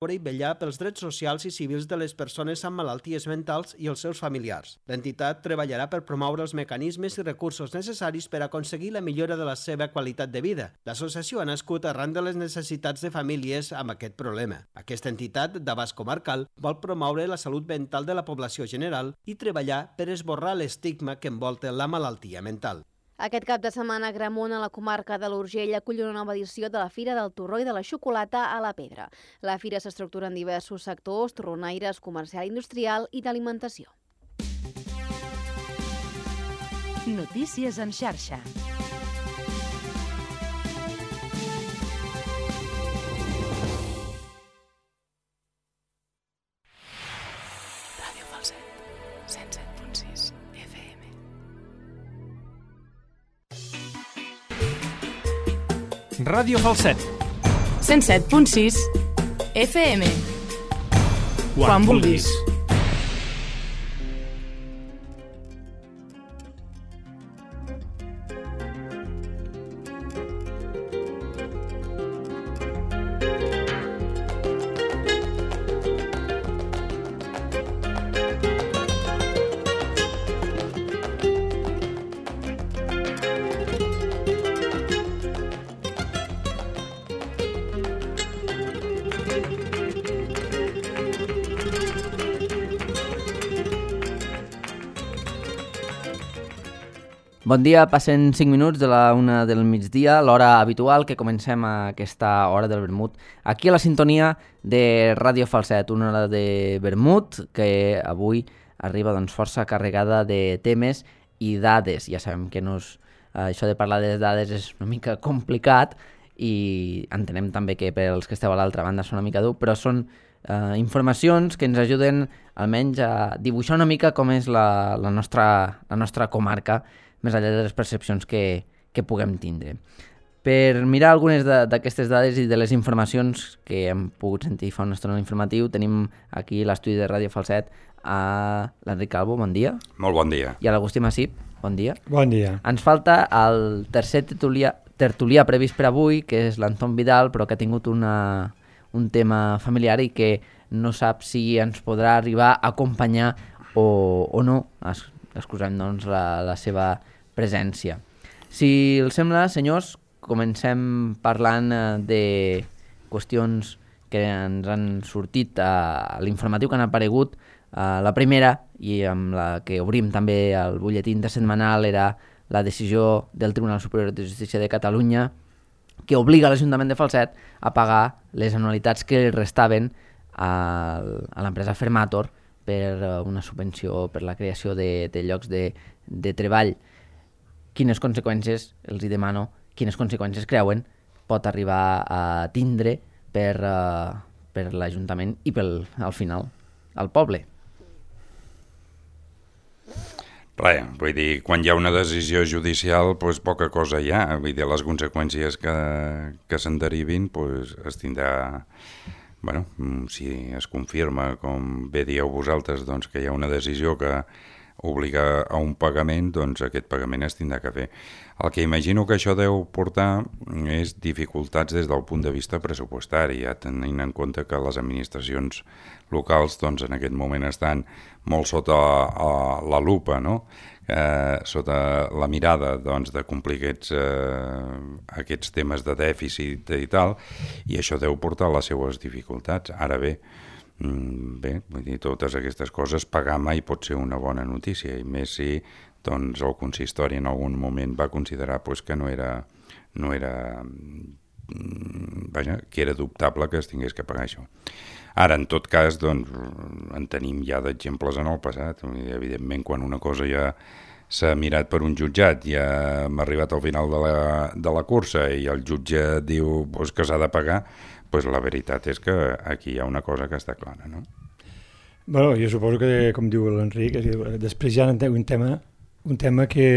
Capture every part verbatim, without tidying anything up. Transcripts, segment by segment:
i vetllar pels drets socials i civils de les persones amb malalties mentals i els seus familiars. L'entitat treballarà per promoure els mecanismes i recursos necessaris per aconseguir la millora de la seva qualitat de vida. L'associació ha nascut arran de les necessitats de famílies amb aquest problema. Aquesta entitat, d'abast comarcal, vol promoure la salut mental de la població general i treballar per esborrar l'estigma que envolta la malaltia mental. Aquest cap de setmana, Agramunt, a la comarca de l'Urgell, acull una nova edició de la Fira del Torró i de la Xocolata a la Pedra. La fira s'estructura en diversos sectors, torronaires, comercial, industrial i d'alimentació. Notícies en xarxa. Ràdio Falset, cent set punt sis F M. Ràdio Falset, cent set punt sis F M. Quan vulguis. Bon dia, passen cinc minuts de la una del migdia, l'hora habitual que comencem a aquesta hora del vermut. Aquí a la sintonia de Ràdio Falset, una hora de vermut que avui arriba doncs, força carregada de temes i dades. Ja sabem que no és, eh, això de parlar de dades és una mica complicat i entenem també que per als que esteu a l'altra banda és una mica dur, però són eh, informacions que ens ajuden almenys a dibuixar una mica com és la, la, nostra, la nostra comarca, més enllà de les percepcions que, que puguem tindre. Per mirar algunes d'aquestes dades i de les informacions que hem pogut sentir fa una estona informatiu, tenim aquí l'estudi de Ràdio Falset a l'Enric Calvo, bon dia. Molt bon dia. I a l'Agustí Massip, bon dia. Bon dia. Ens falta el tercer tertulià, tertulià previst per avui, que és l'Anton Vidal, però que ha tingut una, un tema familiar i que no sap si ens podrà arribar a acompanyar o, o no. Es, excusem doncs la, la seva presència. Si els sembla, senyors, comencem parlant de qüestions que ens han sortit a l'informatiu que han aparegut. La primera, i amb la que obrim també el butlletí intersetmanal, era la decisió del Tribunal Superior de Justícia de Catalunya que obliga l'Ajuntament de Falset a pagar les anualitats que restaven a, a l'empresa Fermator per una subvenció per la creació de, de llocs de, de treball. Quines conseqüències, els hi demano, quines conseqüències creuen pot arribar a tindre per, uh, per l'Ajuntament i pel, al final, al poble? Res, vull dir, quan hi ha una decisió judicial, doncs poca cosa hi ha. Vull dir, les conseqüències que, que se'n derivin, doncs es tindrà... Bueno, si es confirma, com bé dieu vosaltres, doncs que hi ha una decisió que obliga a un pagament, doncs aquest pagament es tindrà que fer. El que imagino que això deu portar és dificultats des del punt de vista pressupostari, ja tenint en compte que les administracions locals doncs, en aquest moment estan molt sota la lupa, no? Eh, sota la mirada doncs, de complir aquests, eh, aquests temes de dèficit i tal, i això deu portar les seues dificultats. Ara bé, bé, vull dir, totes aquestes coses pagar mai pot ser una bona notícia, i més si doncs, el consistori en algun moment va considerar pues, que no era, no era vaja, que era dubtable que es tingués que pagar això. Ara, en tot cas, doncs, en tenim ja d'exemples en el passat. Evidentment, quan una cosa ja s'ha mirat per un jutjat, ja hem arribat al final de la, de la cursa i el jutge diu pues, que s'ha de pagar, pues, la veritat és que aquí hi ha una cosa que està clara, no? Bueno, jo suposo que, com diu l'Enric, després hi ha un tema, un tema que,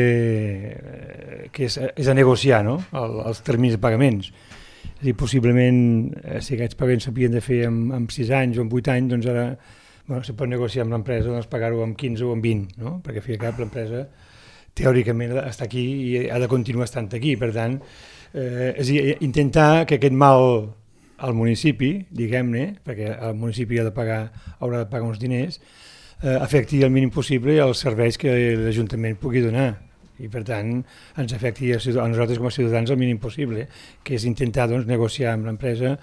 que és, és a negociar, no? El, els terminis de pagaments. És a dir, possiblement, si aquests pagaments s'havien de fer en, en sis anys o en vuit anys, doncs ara bueno, se pot negociar amb l'empresa doncs pagar-ho en quinze o en vint, no? Perquè al fi i al cap l'empresa teòricament està aquí i ha de continuar estant aquí. Per tant, eh, és a dir, intentar que aquest mal al municipi, diguem-ne, perquè el municipi ha de pagar, haurà de pagar uns diners, eh, afecti el mínim possible els serveis que l'Ajuntament pugui donar. I per tant ens afecti a nosaltres com a ciutadans el mínim possible, que és intentar doncs, negociar amb l'empresa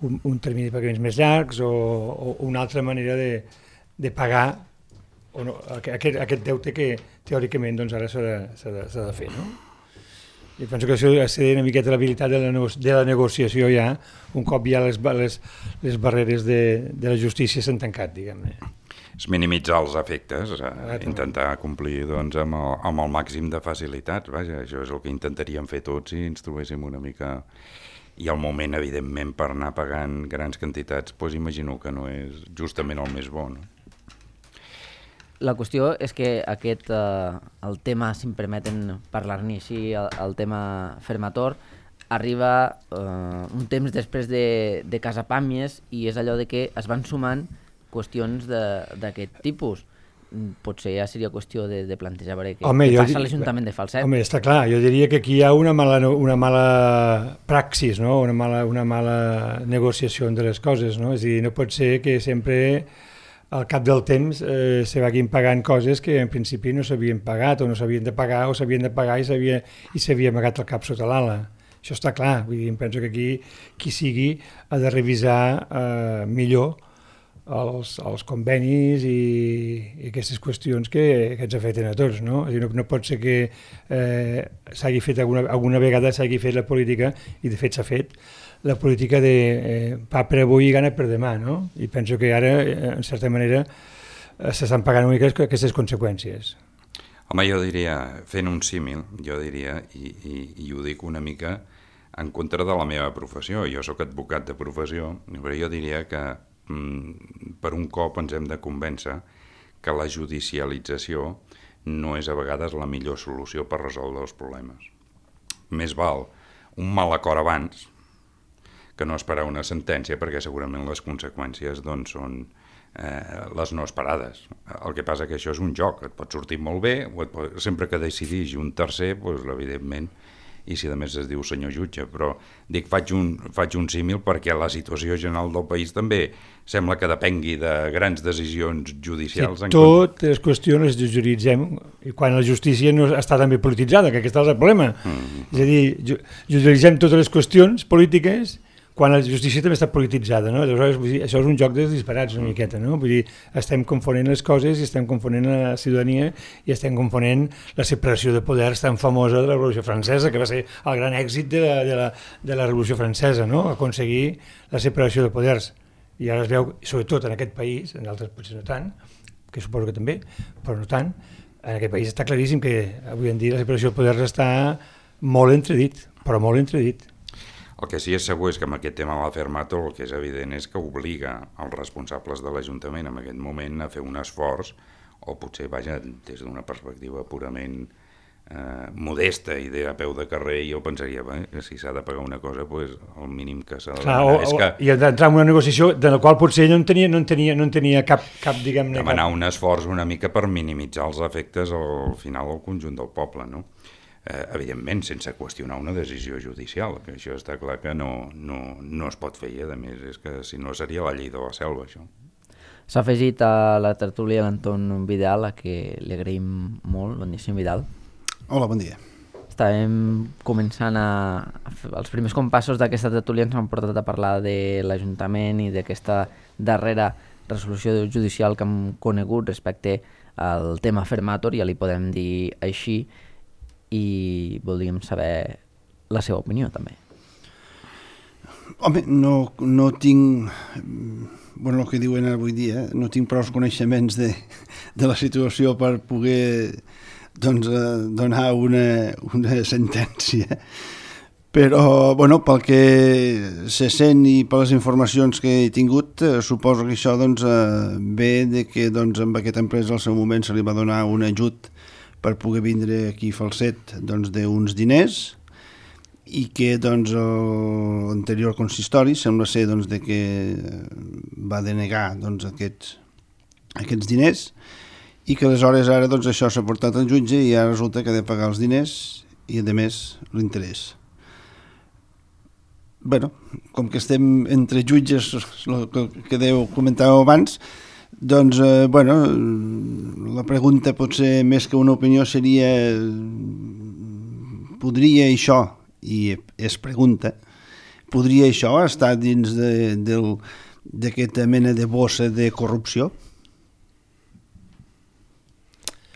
un, un termini de pagaments més llargs o, o una altra manera de, de pagar o no, aquest, aquest deute que teòricament doncs, ara s'ha de, s'ha de, s'ha de fer. No? I penso que això ha de ser una miqueta l'habilitat de, la de la negociació ja, un cop ja les, les, les barreres de, de la justícia s'han tancat, diguem-ne. És minimitzar els efectes, eh, intentar complir doncs, amb, el, amb el màxim de facilitats. Vaja, això és el que intentaríem fer tots si ens trobéssim una mica... I al moment, evidentment, per anar pagant grans quantitats, doncs imagino que no és justament el més bo, no? La qüestió és que aquest, eh, el tema, si em permeten parlar-ne així, el, el tema Fermator, arriba eh, un temps després de, de Casapàmies i és allò de que es van sumant qüestions d'aquest tipus. Potser ja seria qüestió de, de plantejar veure què, home, què passa a l'Ajuntament de Falset. Home, està clar, jo diria que aquí hi ha una mala, una mala praxis, no? una, mala, una mala negociació de les coses. No? És a dir, no pot ser que sempre al cap del temps eh, se vagin pagant coses que en principi no s'havien pagat o no s'havien de pagar o s'havien de pagar i s'havia amagat el cap sota l'ala. Això està clar, vull dir, em penso que aquí qui sigui ha de revisar eh, millor els, els convenis i, i aquestes qüestions que, que ens afecten a tots. No? És a dir, no, no pot ser que eh, s'hagi fet alguna, alguna vegada s'hagi fet la política, i de fet s'ha fet, la política de eh, pa per avui i gana per demà, no? I penso que ara, eh, en certa manera, eh, s'estan pagant una mica aquestes conseqüències. Home, jo diria, fent un símil, jo diria, i, i, i ho dic una mica en contra de la meva professió, jo sóc advocat de professió, però jo diria que mm, per un cop ens hem de convèncer que la judicialització no és a vegades la millor solució per resoldre els problemes. Més val un mal acord abans que no esperar una sentència, perquè segurament les conseqüències doncs, són eh, les no esperades. El que passa que això és un joc, et pot sortir molt bé, o et pot, sempre que decidix un tercer, doncs, evidentment, i si a més es diu senyor jutge, però dic, faig un, faig un símil perquè la situació general del país també sembla que depengui de grans decisions judicials. Sí, totes les qüestions les judicialitzem quan la justícia no està també polititzada, que aquest és el problema. Mm. És a dir, judicialitzem totes les qüestions polítiques quan la justícia també està polititzada, no? Aleshores, vull dir, això és un joc de disparats una miqueta, no? Vull dir, estem confonent les coses i estem confonent la ciutadania i estem confonent la separació de poders tan famosa de la Revolució Francesa, que va ser el gran èxit de la, de la, de la Revolució Francesa, no? Aconseguir la separació de poders. I ara es veu, sobretot en aquest país, en altres potser no tant, que suposo que també, però no tant, en aquest país està claríssim que avui en dia la separació de poders està molt entredit, però molt entredit. El que sí és segur és que amb aquest tema de la Fermator el que és evident és que obliga els responsables de l'Ajuntament en aquest moment a fer un esforç, o potser, vaja, des d'una perspectiva purament eh, modesta i de a peu de carrer, jo pensaria bé, que si s'ha de pagar una cosa, pues, el mínim que s'ha de demanar és que... I entrar en una negociació de la qual potser no en tenia, no en tenia, no en tenia cap, cap diguem-ne... Demanar cap... un esforç una mica per minimitzar els efectes al final al conjunt del poble, no? Eh, evidentment, sense qüestionar una decisió judicial, que això està clar que no, no, no es pot fer, i a més és que si no seria la llei de la selva, això. S'ha afegit a la tertúlia l'Anton Vidal, a qui li agraïm molt. Bon dia, senyor Vidal. Hola, bon dia. Estàvem començant a... a fer, els primers compassos d'aquesta tertúlia ens han portat a parlar de l'Ajuntament i d'aquesta darrera resolució judicial que hem conegut respecte al tema Fermator, ja li podem dir així, i voldríem saber la seva opinió també. Home, no, no tinc, bueno, el que diuen avui dia, no tinc prou coneixements de, de la situació per poder doncs, donar una, una sentència, però bueno, pel que se sent i per les informacions que he tingut, eh, suposo que això doncs, eh, ve de que doncs, amb aquesta empresa al seu moment se li va donar un ajut per poder vindre aquí a Falset doncs, d'uns diners, i que doncs, l'anterior consistori sembla ser doncs, de que va denegar doncs, aquests, aquests diners, i que aleshores ara doncs, això s'ha portat al jutge i ara resulta que ha de pagar els diners i a més l'interès. bueno, com que estem entre jutges, el que deu comentàveu abans, doncs, eh, bueno, la pregunta potser més que una opinió seria podria això, i es pregunta, podria això estar dins de, del, d'aquesta mena de bossa de corrupció?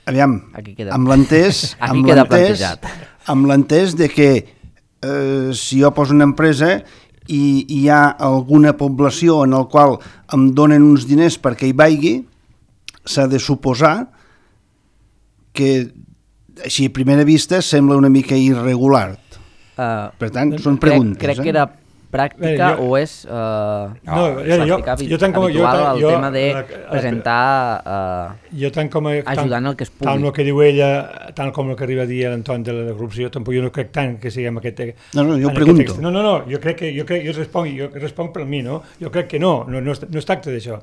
Aviam, amb l'entès amb l'entès amb l'entès de que eh, si jo poso una empresa i hi ha alguna població en el qual em donen uns diners perquè hi vagi, s'ha de suposar que així a primera vista sembla una mica irregular. Uh, per tant, són preguntes. Crec, crec eh? que era pràctica Bé, jo, o és uh, no, pràctica jo, jo, com, habitual jo, el jo, tema de la, presentar uh, jo tant com, ajudant el que es pugui. Tant el que diu ella, tant com el que arriba a dir l'Anton de la corrupció, tampoc jo no crec tant que siguem aquest... No, no, jo pregunto. No, no, no, jo crec que jo, crec, jo, responc, jo responc per mi, no? Jo crec que no, no, no, es, no es tracta d'això.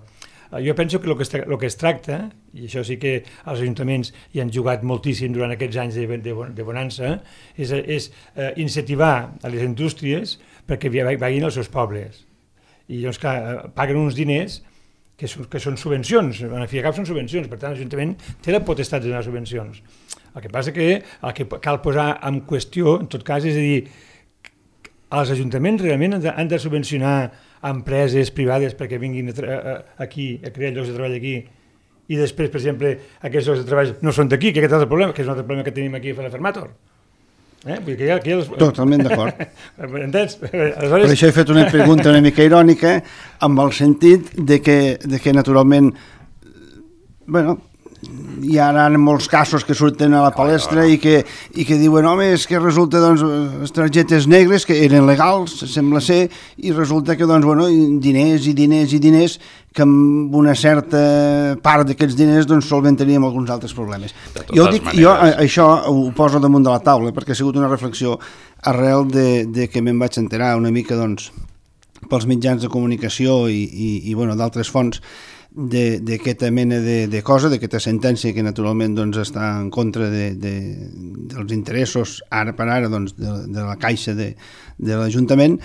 Jo penso que el que, es, el que es tracta, i això sí que els ajuntaments hi han jugat moltíssim durant aquests anys de, de, de bonança, és, és uh, incentivar a les indústries perquè vagin als seus pobles. I doncs, clar, paguen uns diners que són, que són subvencions, en fi, cap són subvencions, per tant, l'Ajuntament té la potestat de donar subvencions. El que passa que el que cal posar en qüestió, en tot cas, és a dir, els ajuntaments realment han de, han de subvencionar empreses privades perquè vinguin a a, aquí a crear llocs de treball aquí i després, per exemple, aquests llocs de treball no són d'aquí, que aquest és el problema, que és un altre problema que tenim aquí a la Fermator. Eh? Vull dir que hi ha, que hi ha els... Totalment d'acord. Entens? Aleshores... Per això he fet una pregunta una mica irònica amb el sentit de que, de que naturalment, bueno, hi ha ara molts casos que surten a la palestra i que, i que diuen, home, és que resulta, doncs, les targetes negres que eren legals, sembla ser, i resulta que, doncs, bueno, diners i diners i diners que amb una certa part d'aquests diners, doncs, solventaríem alguns altres problemes. Jo dic, maneres... jo això ho poso damunt de la taula perquè ha sigut una reflexió arrel de, de que me'n vaig enterar una mica, doncs, pels mitjans de comunicació i, i, i bueno, d'altres fonts, d'aquesta mena de, de cosa, d'aquesta sentència que naturalment doncs, està en contra de, de, dels interessos ara per ara doncs, de, de la caixa de, de l'Ajuntament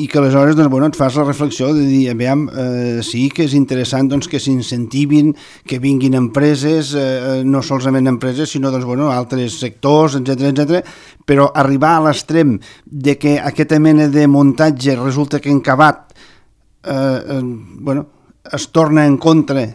i que aleshores doncs, bueno, et fas la reflexió de dir, aviam, eh, sí que és interessant doncs, que s'incentivin, que vinguin empreses, eh, no solament empreses, sinó doncs, bueno, altres sectors, etcètera, etcètera, però arribar a l'extrem de que aquesta mena de muntatge resulta que en acabat eh, eh, bueno, es torna en contra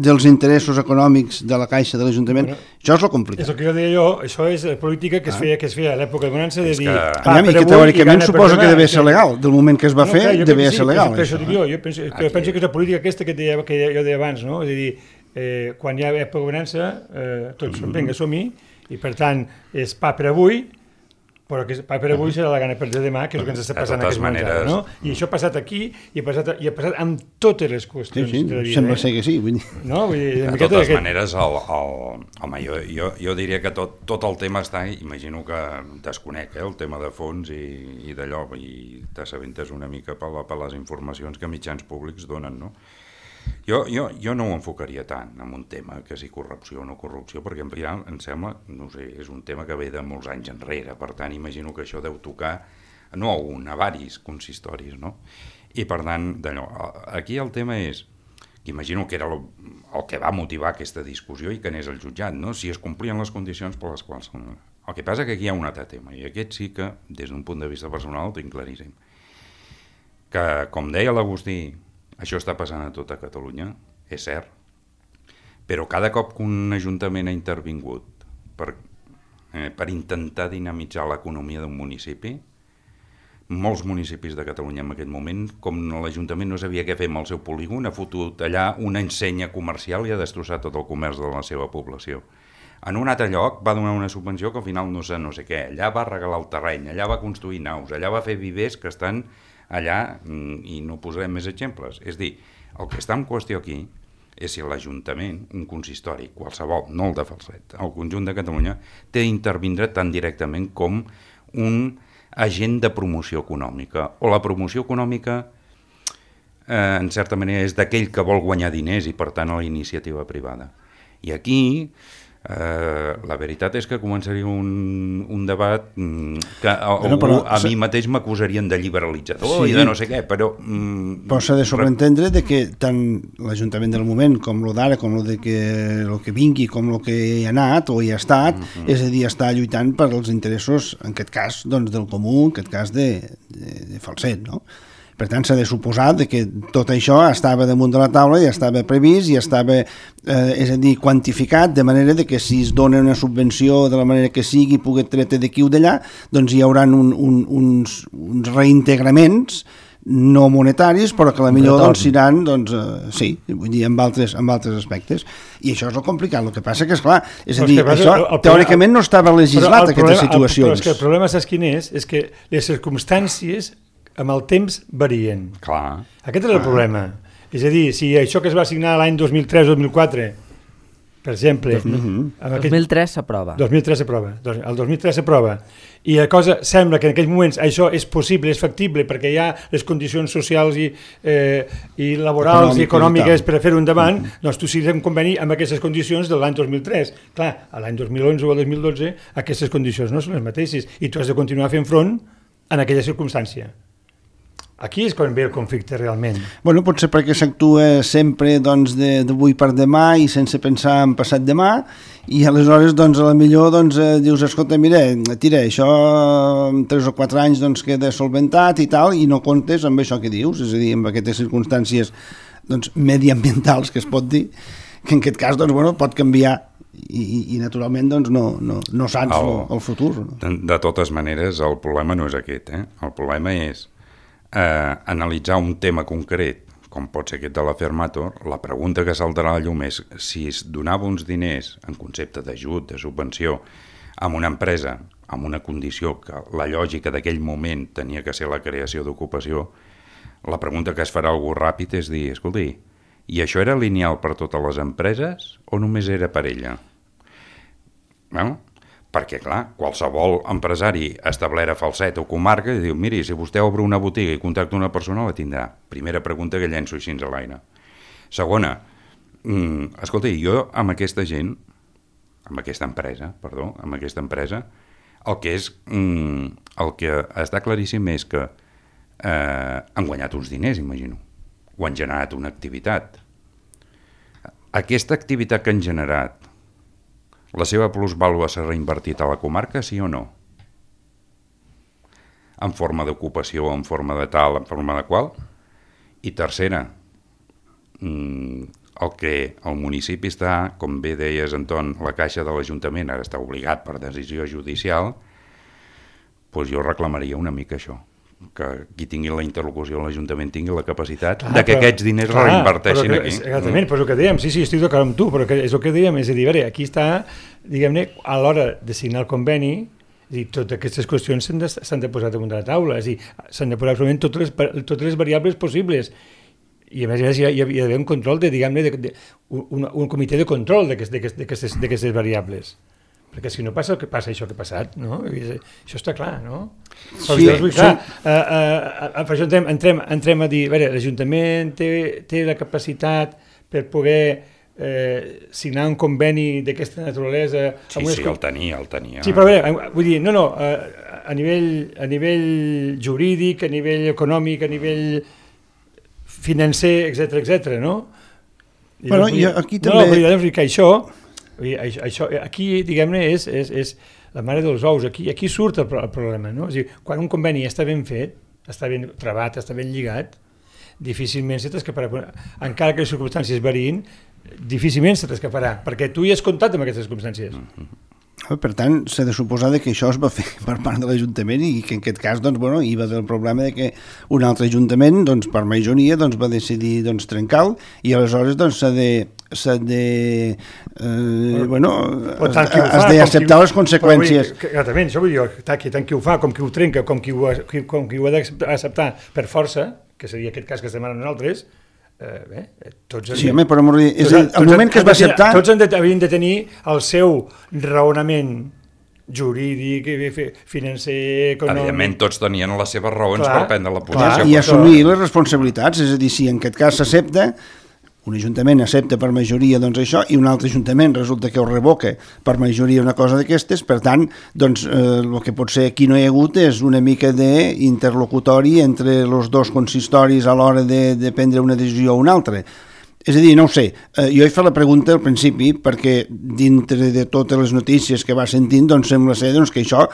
dels interessos econòmics de la Caixa de l'Ajuntament, bueno, això és el complicat. És el que jo deia jo, això és política que es feia, que es feia a l'època de bonança, de dir... Que... Ah, i que teòricament suposa que devia ser legal, del moment que es va no, fer, clar, devia ser legal. Per això dic jo, jo penso, que, penso que és la política aquesta que, deia, que jo deia abans, no? És a dir, eh, quan hi ha època de bonança, eh, tots, mm-hmm. vinga, som-hi, i per tant, és pa per avui, però que pa per avui serà la gana per demà, que és el que ens està passant en aquest moment. No? I això ha passat aquí i ha passat, i ha passat amb totes les qüestions sí, sí, de la vida. Sembla eh? ser que sí. Vull dir. No, vull dir, de totes aquest... maneres, el, el, home, jo, jo, jo diria que tot, tot el tema està, imagino que desconec eh, el tema de fons i, i d'allò, i t'assabentes una mica per, la, per les informacions que mitjans públics donen, no? Jo, jo, jo no ho enfocaria tant en un tema que si corrupció o no corrupció, perquè en final em sembla, no sé, és un tema que ve de molts anys enrere, per tant imagino que això deu tocar no a un, a varis consistoris, no? I per tant, d'allò, aquí el tema és, que imagino que era el, el que va motivar aquesta discussió i que anés al jutjat, no? Si es complien les condicions per les quals... El que passa que aquí hi ha un altre tema, i aquest sí que, des d'un punt de vista personal, ho tinc claríssim. Que, com deia l'Agustí, això està passant a tota Catalunya, és cert, però cada cop que un ajuntament ha intervingut per, eh, per intentar dinamitzar l'economia d'un municipi, molts municipis de Catalunya en aquest moment, com l'Ajuntament no sabia què fer amb el seu polígon, ha fotut allà una ensenya comercial i ha destrossat tot el comerç de la seva població. En un altre lloc va donar una subvenció que al final no sé, no sé què, allà va regalar el terreny, allà va construir naus, allà va fer vivers que estan allà, i no posarem més exemples. És dir, el que està en qüestió aquí és si l'Ajuntament, un consistori, qualsevol, no el de Falset, el conjunt de Catalunya, té d'intervindre tan directament com un agent de promoció econòmica. O la promoció econòmica, eh, en certa manera, és d'aquell que vol guanyar diners i, per tant, a la iniciativa privada. I aquí Uh, la veritat és que començaria un, un debat que a, bueno, però, a mi mateix m'acusarien de liberalitzador sí, i de no sé què, però... Mm, però s'ha de sobreentendre de que tant l'Ajuntament del moment com el d'ara, com el de que, el que vingui, com el que hi ha anat o hi ha estat, mm-hmm. és a dir, està lluitant per als interessos, en aquest cas, doncs, del comú, en aquest cas de, de, de Falset, no? Per tant, s'ha de suposar que tot això estava damunt de la taula i estava previst i estava, eh, és a dir, quantificat, de manera de que si es dona una subvenció de la manera que sigui, pugui treure d'aquí o d'allà, doncs hi haurà un, un, uns, uns reintegraments no monetaris, però que a la millor doncs, seran, doncs, eh, sí, vull dir, amb altres, amb altres aspectes. I això és el complicat. El que passa que, esclar, és a dir, passa, això el, el, teòricament no estava legislat, aquestes problema, situacions. El, però és que el problema, saps quin és? És que les circumstàncies amb el temps varien. Clar. Aquest és el problema. És a dir, si això que es va signar l'any dos mil tres o dos mil quatre, per exemple... Uh-huh. Aquest... dos mil tres s'aprova. dos mil tres s'aprova. El dos mil tres s'aprova. I la cosa sembla que en aquells moments això és possible, és factible, perquè hi ha les condicions socials i, eh, i laborals Econòmic, i econòmiques per a fer-ho endavant, uh-huh. doncs tu siguis un conveni amb aquestes condicions de l'any dos mil tres. Clar, a l'any dos mil onze o el dos mil dotze aquestes condicions no són les mateixes i tu has de continuar fent front en aquella circumstància. Aquí és quan ve el conflicte realment. Bueno, potser perquè s'actua sempre doncs, d'avui per demà i sense pensar en passat demà i aleshores doncs, a la millor doncs, eh, dius, escolta, mira, tira, això en tres o quatre anys doncs, queda solventat i tal i no comptes amb això que dius, és a dir, amb aquestes circumstàncies doncs, mediambientals que es pot dir, que en aquest cas doncs, bueno, pot canviar i, i, i naturalment doncs, no, no, no saps el, el futur. No? De, de totes maneres, el problema no és aquest, eh? El problema és Eh, analitzar un tema concret, com pot ser aquest de la Fermator, la pregunta que saltarà a la llum és si es donava uns diners en concepte d'ajut, de subvenció, a una empresa, amb una condició que la lògica d'aquell moment tenia que ser la creació d'ocupació, la pregunta que es farà algú ràpid és dir, escolti, i això era lineal per totes les empreses o només era per ella? Bueno, perquè, clar, qualsevol empresari establert a Falset o comarca diu, miri, si vostè obre una botiga i contacta una persona, la tindrà. Primera pregunta que llenço així a l'aire. Segona, mm, escolta, jo amb aquesta gent, amb aquesta empresa, perdó, amb aquesta empresa, el que és, mm, el que està claríssim és que eh, han guanyat uns diners, imagino, o han generat una activitat. Aquesta activitat que han generat, la seva plusvàlua s'ha reinvertit a la comarca, sí o no? En forma d'ocupació, en forma de tal, en forma de qual? I tercera, el que el municipi està, com bé deies, Anton, la caixa de l'Ajuntament ara està obligat per decisió judicial, doncs jo reclamaria una mica això, que qui tingui la interlocució a l'Ajuntament tingui la capacitat clar, de que però, aquests diners clar, reinverteixin aquí. Exactament, mm. però és el que dèiem, sí, sí, estic d'acord amb tu, però que és el que dèiem, és a dir, veure, aquí està, diguem-ne, a l'hora de signar el conveni, és a dir, totes aquestes qüestions s'han de, s'han de posar damunt de la taula, és a dir, s'han de posar absolutament totes les, totes les variables possibles, i a més a més hi ha, hi ha d'haver un control de, diguem-ne, de, de, un, un comitè de control d'aquestes variables. Perquè si no passa el que passa això que ha passat, no? Això està clar, no? Però sí, dir, clar, sí. uh, uh, uh, per això entrem, entrem, entrem a dir, a veure, l'Ajuntament té, té la capacitat per poder eh, signar un conveni d'aquesta naturalesa... Sí, sí, el tenia, el tenia. Sí, però a veure, vull dir, no, no, uh, a, nivell, a nivell jurídic, a nivell econòmic, a nivell financer, etcètera, etcètera, no? I bueno, i aquí també... No, però dir que això... Això, aquí, diguem-ne, és, és, és la mare dels ous. Aquí, aquí surt el, el problema, no? És a dir, quan un conveni està ben fet, està ben trebat, està ben lligat, difícilment se t'escaparà. Encara que les circumstàncies variïn, difícilment se t'escaparà, perquè tu hi has comptat amb aquestes circumstàncies. Mm-hmm. Per tant, s'ha de suposar que això es va fer per part de l'Ajuntament i que en aquest cas doncs, bueno, hi va haver el problema de que un altre Ajuntament, doncs, per majoria, doncs, va decidir doncs, trencar-lo i aleshores doncs, s'ha de, s'ha de eh, bueno, has d'acceptar les conseqüències. Exactament, això vull dir, tant qui ho fa com qui ho trenca, com qui ho, com qui ho ha d'acceptar per força, que seria aquest cas que estem ara nosaltres, Eh, bé, tots sí, home, però és el, el moment que es va acceptar... Tots han de, havien de tenir el seu raonament jurídic, financer, econòmic... Evidentment, tots tenien les seves raons clar, per prendre la posició. Clar, i assumir les responsabilitats, és a dir, si en aquest cas s'accepta, un ajuntament accepta per majoria doncs, això i un altre ajuntament resulta que ho revoca per majoria una cosa d'aquestes, per tant, doncs, eh, el que potser aquí no hi ha hagut és una mica d'interlocutori entre els dos consistoris a l'hora de, de prendre una decisió o una altra. És a dir, no ho sé, eh, jo he fet la pregunta al principi perquè dintre de totes les notícies que va sentint doncs sembla ser doncs, que això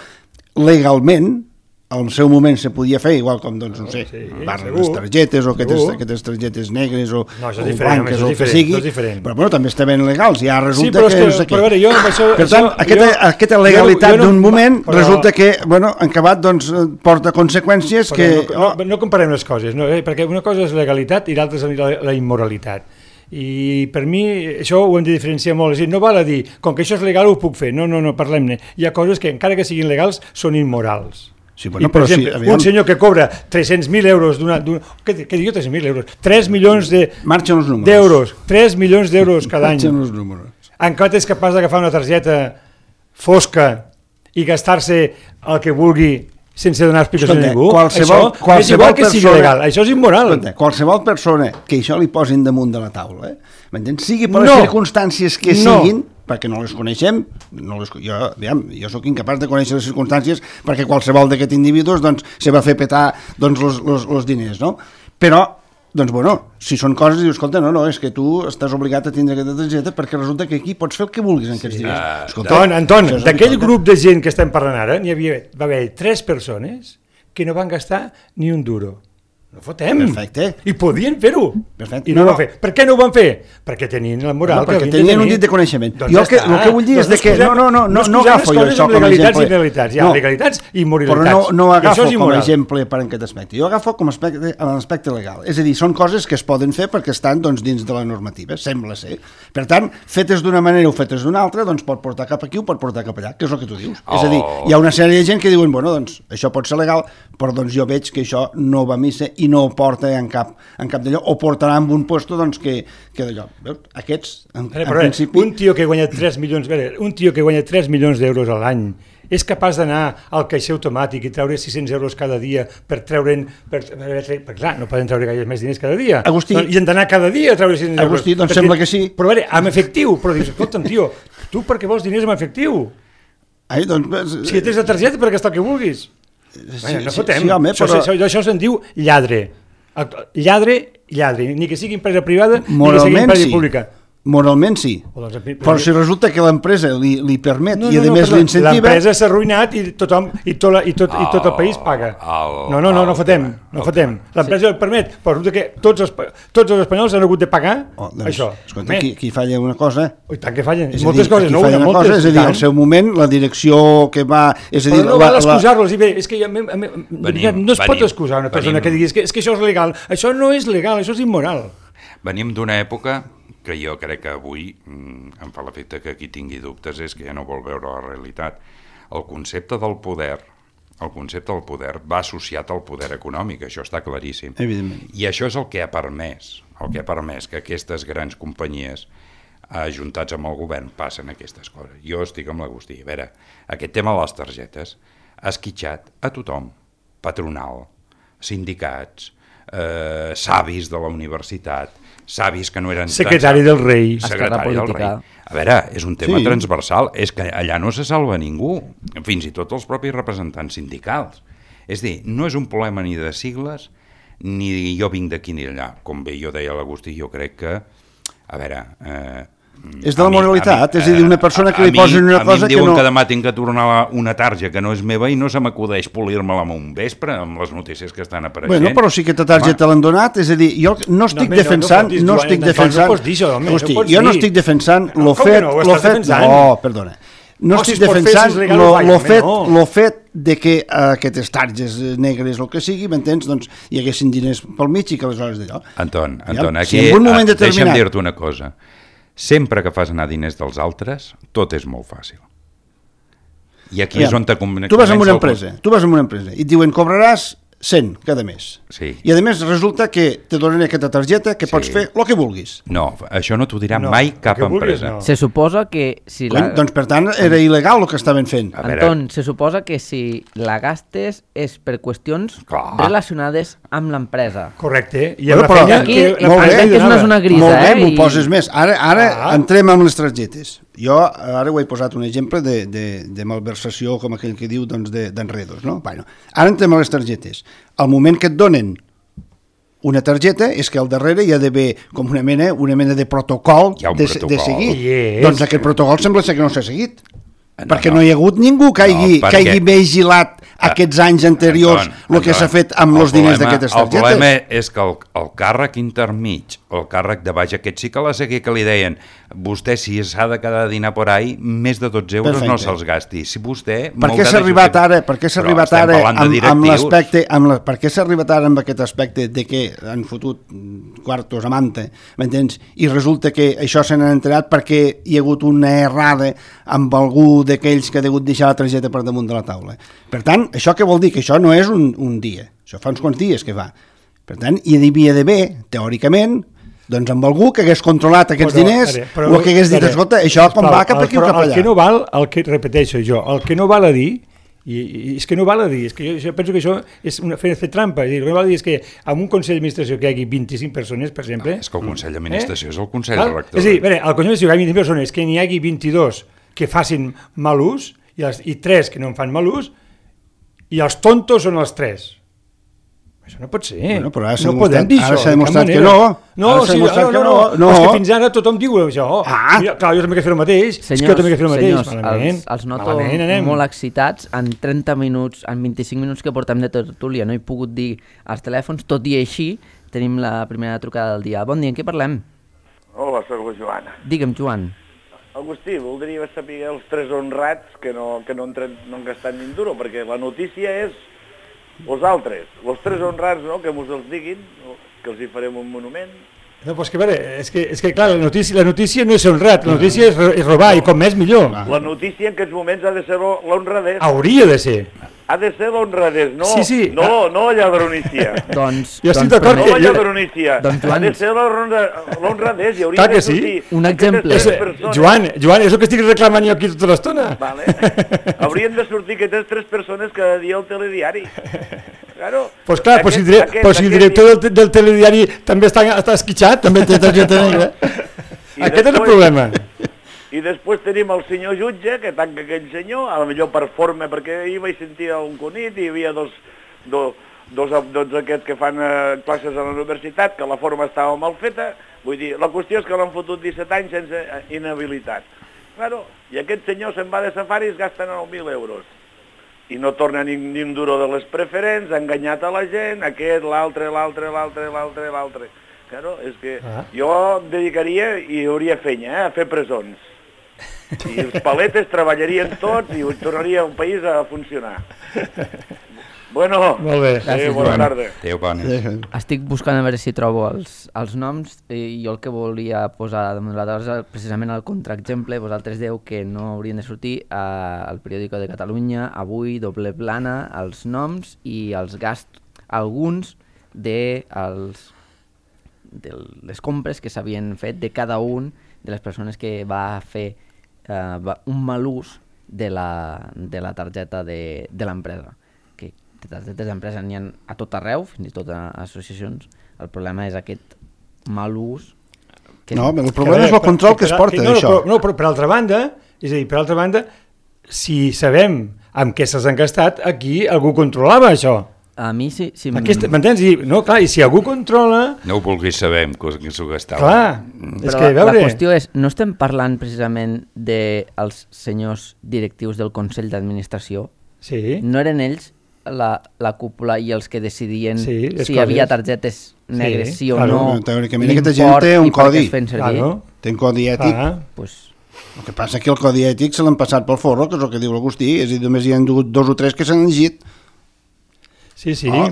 legalment al seu moment se podia fer, igual com, doncs, no sé, sí, barres les targetes o aquestes, aquestes targetes negres o, no, o blanques o el que sigui, però bueno, també estaven legals, ja resulta sí, que, que no sé què. Però, veure, jo, això, per tant, això, aquesta, jo, aquesta legalitat no, d'un moment però, resulta que, bueno, en acabat, doncs, porta conseqüències que... No, no, no comparem les coses, no, eh? Perquè una cosa és legalitat i l'altra és la, la immoralitat. I per mi això ho hem de diferenciar molt, és a dir, no val a dir, com que això és legal ho puc fer, no, no, no, parlem-ne. Hi ha coses que encara que siguin legals són immorals. Sí, bueno, I, per però exemple, sí, un senyor que cobra tres-cents mil euros d'una... Què, què dic jo, tres-cents mil euros? tres milions de, marxen els números. d'euros, tres milions d'euros cada any. Marxen els números. Encara és capaç d'agafar una targeta fosca i gastar-se el que vulgui sense donar explicació a ningú. Qualsevol, això qualsevol és igual que persona, sigui legal, això és immoral. Escolta, qualsevol persona que això li posin damunt de la taula, eh? M'entens? Sigui per no, les circumstàncies que no. siguin, perquè no les coneixem, no les, jo, aviam, jo sóc incapaç de conèixer les circumstàncies perquè qualsevol d'aquests individus doncs, se va fer petar doncs, los, los, los diners, no? Però, doncs, bueno, si són coses, dius, escolta, no, no, és que tu estàs obligat a tindre aquesta targeta perquè resulta que aquí pots fer el que vulguis en aquests sí. diners. Escolta, Anton, Anton d'aquell grup de gent que estem parlant ara, n'hi havia, va haver tres persones que no van gastar ni un duro. No fotem. Perfecte. I podien fer-ho. Perfecte. I no, no, ho van fer. Per què no ho van fer? Perquè tenien la moral. No, perquè tenien un dit de coneixement. Doncs jo ja que, el que vull dir és de que no, no, no, no, no agafo jo això com a exemple. I legalitats, hi ha no, legalitats i immoralitats. Però no, no agafo com a exemple per en aquest aspecte. Jo agafo com a aspecte, en l'aspecte legal. És a dir, són coses que es poden fer perquè estan doncs, dins de la normativa, sembla ser. Per tant, fetes d'una manera o fetes d'una altra, doncs pot portar cap aquí o pot portar cap allà, que és el que tu dius. Oh. És a dir, hi ha una sèrie de gent que diuen, bueno, doncs això pot ser legal, però doncs jo veig que això no va a missa i no ho porta en cap, en cap d'allò, o portarà en un puesto doncs, que, que d'allò. Veus? Aquests, en, veure, en veure, principi... Un tio que guanya tres milions, veure, un tio que guanya tres milions d'euros a l'any és capaç d'anar al caixer automàtic i treure sis-cents euros cada dia per treure'n... Per, per, per, per, clar, no poden treure gaire més diners cada dia. Agustí... I han d'anar cada dia a treure sis-cents euros. Agustí, doncs perquè, sembla que sí. Però a veure, amb efectiu. Però dius, escolta'm, tio, tu per què vols diners amb efectiu? Ai, doncs... Si tens la targeta per gastar el que vulguis. Sí, Vaja, no sí, fotem. sí, home, però... això, això, això se'n diu lladre. Lladre, lladre. Ni que sigui empresa privada, moralment, ni que sigui empresa sí. pública. Moralment sí, doncs, però si resulta que l'empresa li, li permet no, i a no, més no, l'incentiva... L'empresa s'ha arruïnat i tothom i tot, la, i, tot, i tot el país paga. El, no, no, no, no el fotem, tema, no fotem. L'empresa sí. el permet, però resulta que tots els, tots els espanyols han hagut de pagar oh, doncs, això. Escolta, aquí, aquí falla una cosa. I tant que fallen, és moltes dir, coses, no? Falla una moltes, cosa, és a dir, al seu moment, la direcció que va... És a dir, però no la, val excusar-los, i bé, és que ja, a, a, venim, no es venim, pot excusar una persona venim. que digui és que, és que això és legal. Això no és legal, això és immoral. Venim d'una època que jo crec que avui mm, em fa l'efecte que qui tingui dubtes és que ja no vol veure la realitat. El concepte del poder, el concepte del poder va associat al poder econòmic, això està claríssim. Evidentment. I això és el que ha permès, el que ha permès que aquestes grans companyies ajuntats amb el govern passen aquestes coses. Jo estic amb l'Agustí. A veure, aquest tema de les targetes ha esquitxat a tothom, patronal, sindicats, eh, savis de la universitat, savis que no eren... Secretari del rei. Secretari del rei. A veure, és un tema sí. transversal, és que allà no se salva ningú, fins i tot els propis representants sindicals. És dir, no és un problema ni de sigles, ni jo vinc d'aquí ni d'allà. Com bé jo deia l'Agustí, jo crec que, a veure... Eh, és de la moralitat, mi, és a dir, una persona que li posen una cosa que no... A mi em diuen que demà tinc que tornar una tarja que no és meva i no se m'acudeix polir-me-la amb un vespre amb les notícies que estan apareixent. Bueno, però sí que aquesta targeta l'han donat, és a dir, jo no estic no, defensant... No, no, no estic defensant... No pots dir això, home, Hosti, no pots jo no dir. estic defensant lo no, fet... No, ho lo estàs fet defensant. no, perdona. No oh, estic si defensant fer, si legal, lo, vaja, lo, fet, no. lo fet de que uh, aquestes targes negres o el que sigui, m'entens, doncs hi haguessin diners pel mig i que aleshores d'allò. Anton, Anton, aquí si en un moment ah, determinat... deixa'm dir-te una cosa. Sempre que fas anar diners dels altres, tot és molt fàcil. I aquí Aviam, és on te comença... Tu vas en una empresa, tu vas en una empresa i et diuen cobraràs cent cada mes. Sí. I a més resulta que te donen aquesta targeta que sí. pots fer el que vulguis. No, això no t'ho dirà no, mai cap vulguis, empresa. No. Se suposa que si la... Doncs per tant era il·legal el que estaven fent. Anton, se suposa que si la gastes és per qüestions Clar. relacionades amb l'empresa. Correcte. I bueno, la però feina, aquí, que, molt bé, que és una zona grisa, molt bé, eh? m'ho I... poses més. Ara, ara ah. entrem amb les targetes. Jo ara ho he posat un exemple de, de, de malversació, com aquell que diu, doncs, d'enredos, no? Bueno, ara entrem a les targetes. Al moment que et donen una targeta és que al darrere hi ha d'haver com una mena, una mena de protocol, Hi ha un de, protocol. de seguir. Yes. Doncs aquest protocol sembla ser que no s'ha seguit. No, perquè no. no hi ha hagut ningú que hagi, No, que hagi perquè- vigilat aquests anys anteriors el que s'ha fet amb els diners d'aquestes El targetes. problema és que el, el càrrec intermig, el càrrec de baix, aquest sí que la sé que li deien vostè si s'ha de quedar a dinar por ahí, més de dotze euros Perfecte. no se'ls gasti. Si vostè... Per què s'ha arribat ara, per què s'ha Però arribat estem ara parlant de amb, amb directius. l'aspecte, amb la, per què s'ha arribat ara amb aquest aspecte de que han fotut quartos a manta, m'entens? I resulta que això se n'han enterat perquè hi ha hagut una errada amb algú d'aquells que ha hagut deixar la targeta per damunt de la taula. Per tant, això què vol dir? Que això no és un, un dia, això fa uns quants dies que fa. Per tant, hi havia d'haver, teòricament, doncs amb algú que hagués controlat aquests Però, diners ara, però, o que hagués dit, ara, escolta, això com sisplau, va cap aquí o però cap allà. El que no val, el que repeteixo jo, el que no val a dir, i, i és que no val a dir, és que jo, jo penso que això és una, fer, fer trampa, és dir, el que no val a dir és que en un Consell d'Administració que hi hagi vint-i-cinc persones, per exemple... Ah, és que el Consell d'Administració eh? és el Consell Val? Rector. És a dir, bé, al Consell d'Administració hi ha vint persones, que n'hi hagi vint-i-dos que facin mal ús i, els, i tres que no en fan mal ús, i els tontos són els tres. Això no pot ser. Bueno, però ara s'ha no demostrat- podem dir ara això. s'ha de cap demostrat que manera. no. No, Ara s'ha sí, demostrat no, que no, no. no. No. És que fins ara tothom diu això. Ah. Mira, clar, jo també he de fer el mateix. Senyors, és que jo també he de fer el mateix. senyors, Malament. els, els noto Malament anem. molt excitats. En trenta minuts, en vint-i-cinc minuts que portem de tertúlia no he pogut dir els telèfons, tot i així tenim la primera trucada del dia. Bon dia, en què parlem? Hola, soc la Joana. Digue'm, Joan. Agustí, voldria saber els tres honrats que no, que no, han, tret, no han gastat ni un duro, perquè la notícia és els altres, els tres honrats, no?, que mos els diguin, que els hi farem un monument. No, pues que, vale, és que, és que clar, la notícia, la notícia no és honrat, la notícia és, és robar, i com més millor. La notícia en aquests moments ha de ser l'honradès. Hauria de ser. Ha de ser l'honradès, no, Sí, sí. no, no la lladronícia. Doncs, Jo estic doncs, d'acord No que la jo- lladronícia. Doncs, Ha Joan, de ser l'honra- l'honradès. Hi hauria Clar de que sí. sortir Un aquestes exemple. tres És, persones. Joan, Joan, és el que estic reclamant jo aquí tota l'estona. Vale. Haurien de sortir aquestes tres persones cada dia al telediari. Claro. Pues clar, pues si, Aquest- dire, aquest- pues si el aquest director dia- del, te- del telediari també està, està esquitxat, també té targeta negra. I Aquest és el després- problema. I després tenim el senyor jutge, que tanca aquell senyor, a la millor per forma, perquè ahir vaig sentir un conit i hi havia dos, dos, dos, dos aquests que fan eh, classes a la universitat, que la forma estava mal feta. Vull dir, la qüestió és que l'han fotut disset anys sense eh, inhabilitat. Claro, i aquest senyor se'n va de safari i es gasta nou mil euros. I no torna ni, ni un duro de les preferents, ha enganyat a la gent, aquest, l'altre, l'altre, l'altre, l'altre, l'altre. Claro, és que Ah. jo em dedicaria i hauria fenya, eh, a fer presons. I els paletes treballarien tots i tornaria un país a funcionar. Bueno, Molt bé. sí, Gràcies, bona Joan. tarda. Adéu, bona. estic buscant a veure si trobo els, els noms i jo el que volia posar damunt de la taula és precisament el contraexemple. Vosaltres deu que no haurien de sortir eh, al periòdico de Catalunya, Avui, Doble Plana, els noms i els gasts, alguns de, els, de les compres que s'havien fet de cada un de les persones que va fer eh, va, un mal ús de la, de la targeta de, de l'empresa. Que de targetes d'empresa n'hi ha a tot arreu, fins i tot a associacions. El problema és aquest mal ús. Que No, és... el problema és el control que es porta no, d'això. No, però, no, però per altra banda, és a dir, per altra banda, si sabem amb què se'ls han gastat, aquí algú controlava això. A mi sí... sí Aquesta, m'entens? I, no, clar, i si algú controla... No ho vulguis saber, que que s'ho gastava. Clar, és Però que, a veure... la qüestió és, no estem parlant precisament dels senyors directius del Consell d'Administració? Sí. No eren ells la, la cúpula i els que decidien Sí, les si hi coses. havia targetes negres, sí, sí o claro, no, teòricament aquesta gent l'import té un i per què codi. es feien servir? Claro. Té un codi ètic. Ah, Pues, El que passa és que el codi ètic se l'han passat pel forro, que és el que diu l'Agustí, és a dir, només hi ha hagut dos o tres que s'han llegit. sí, sí. Oh,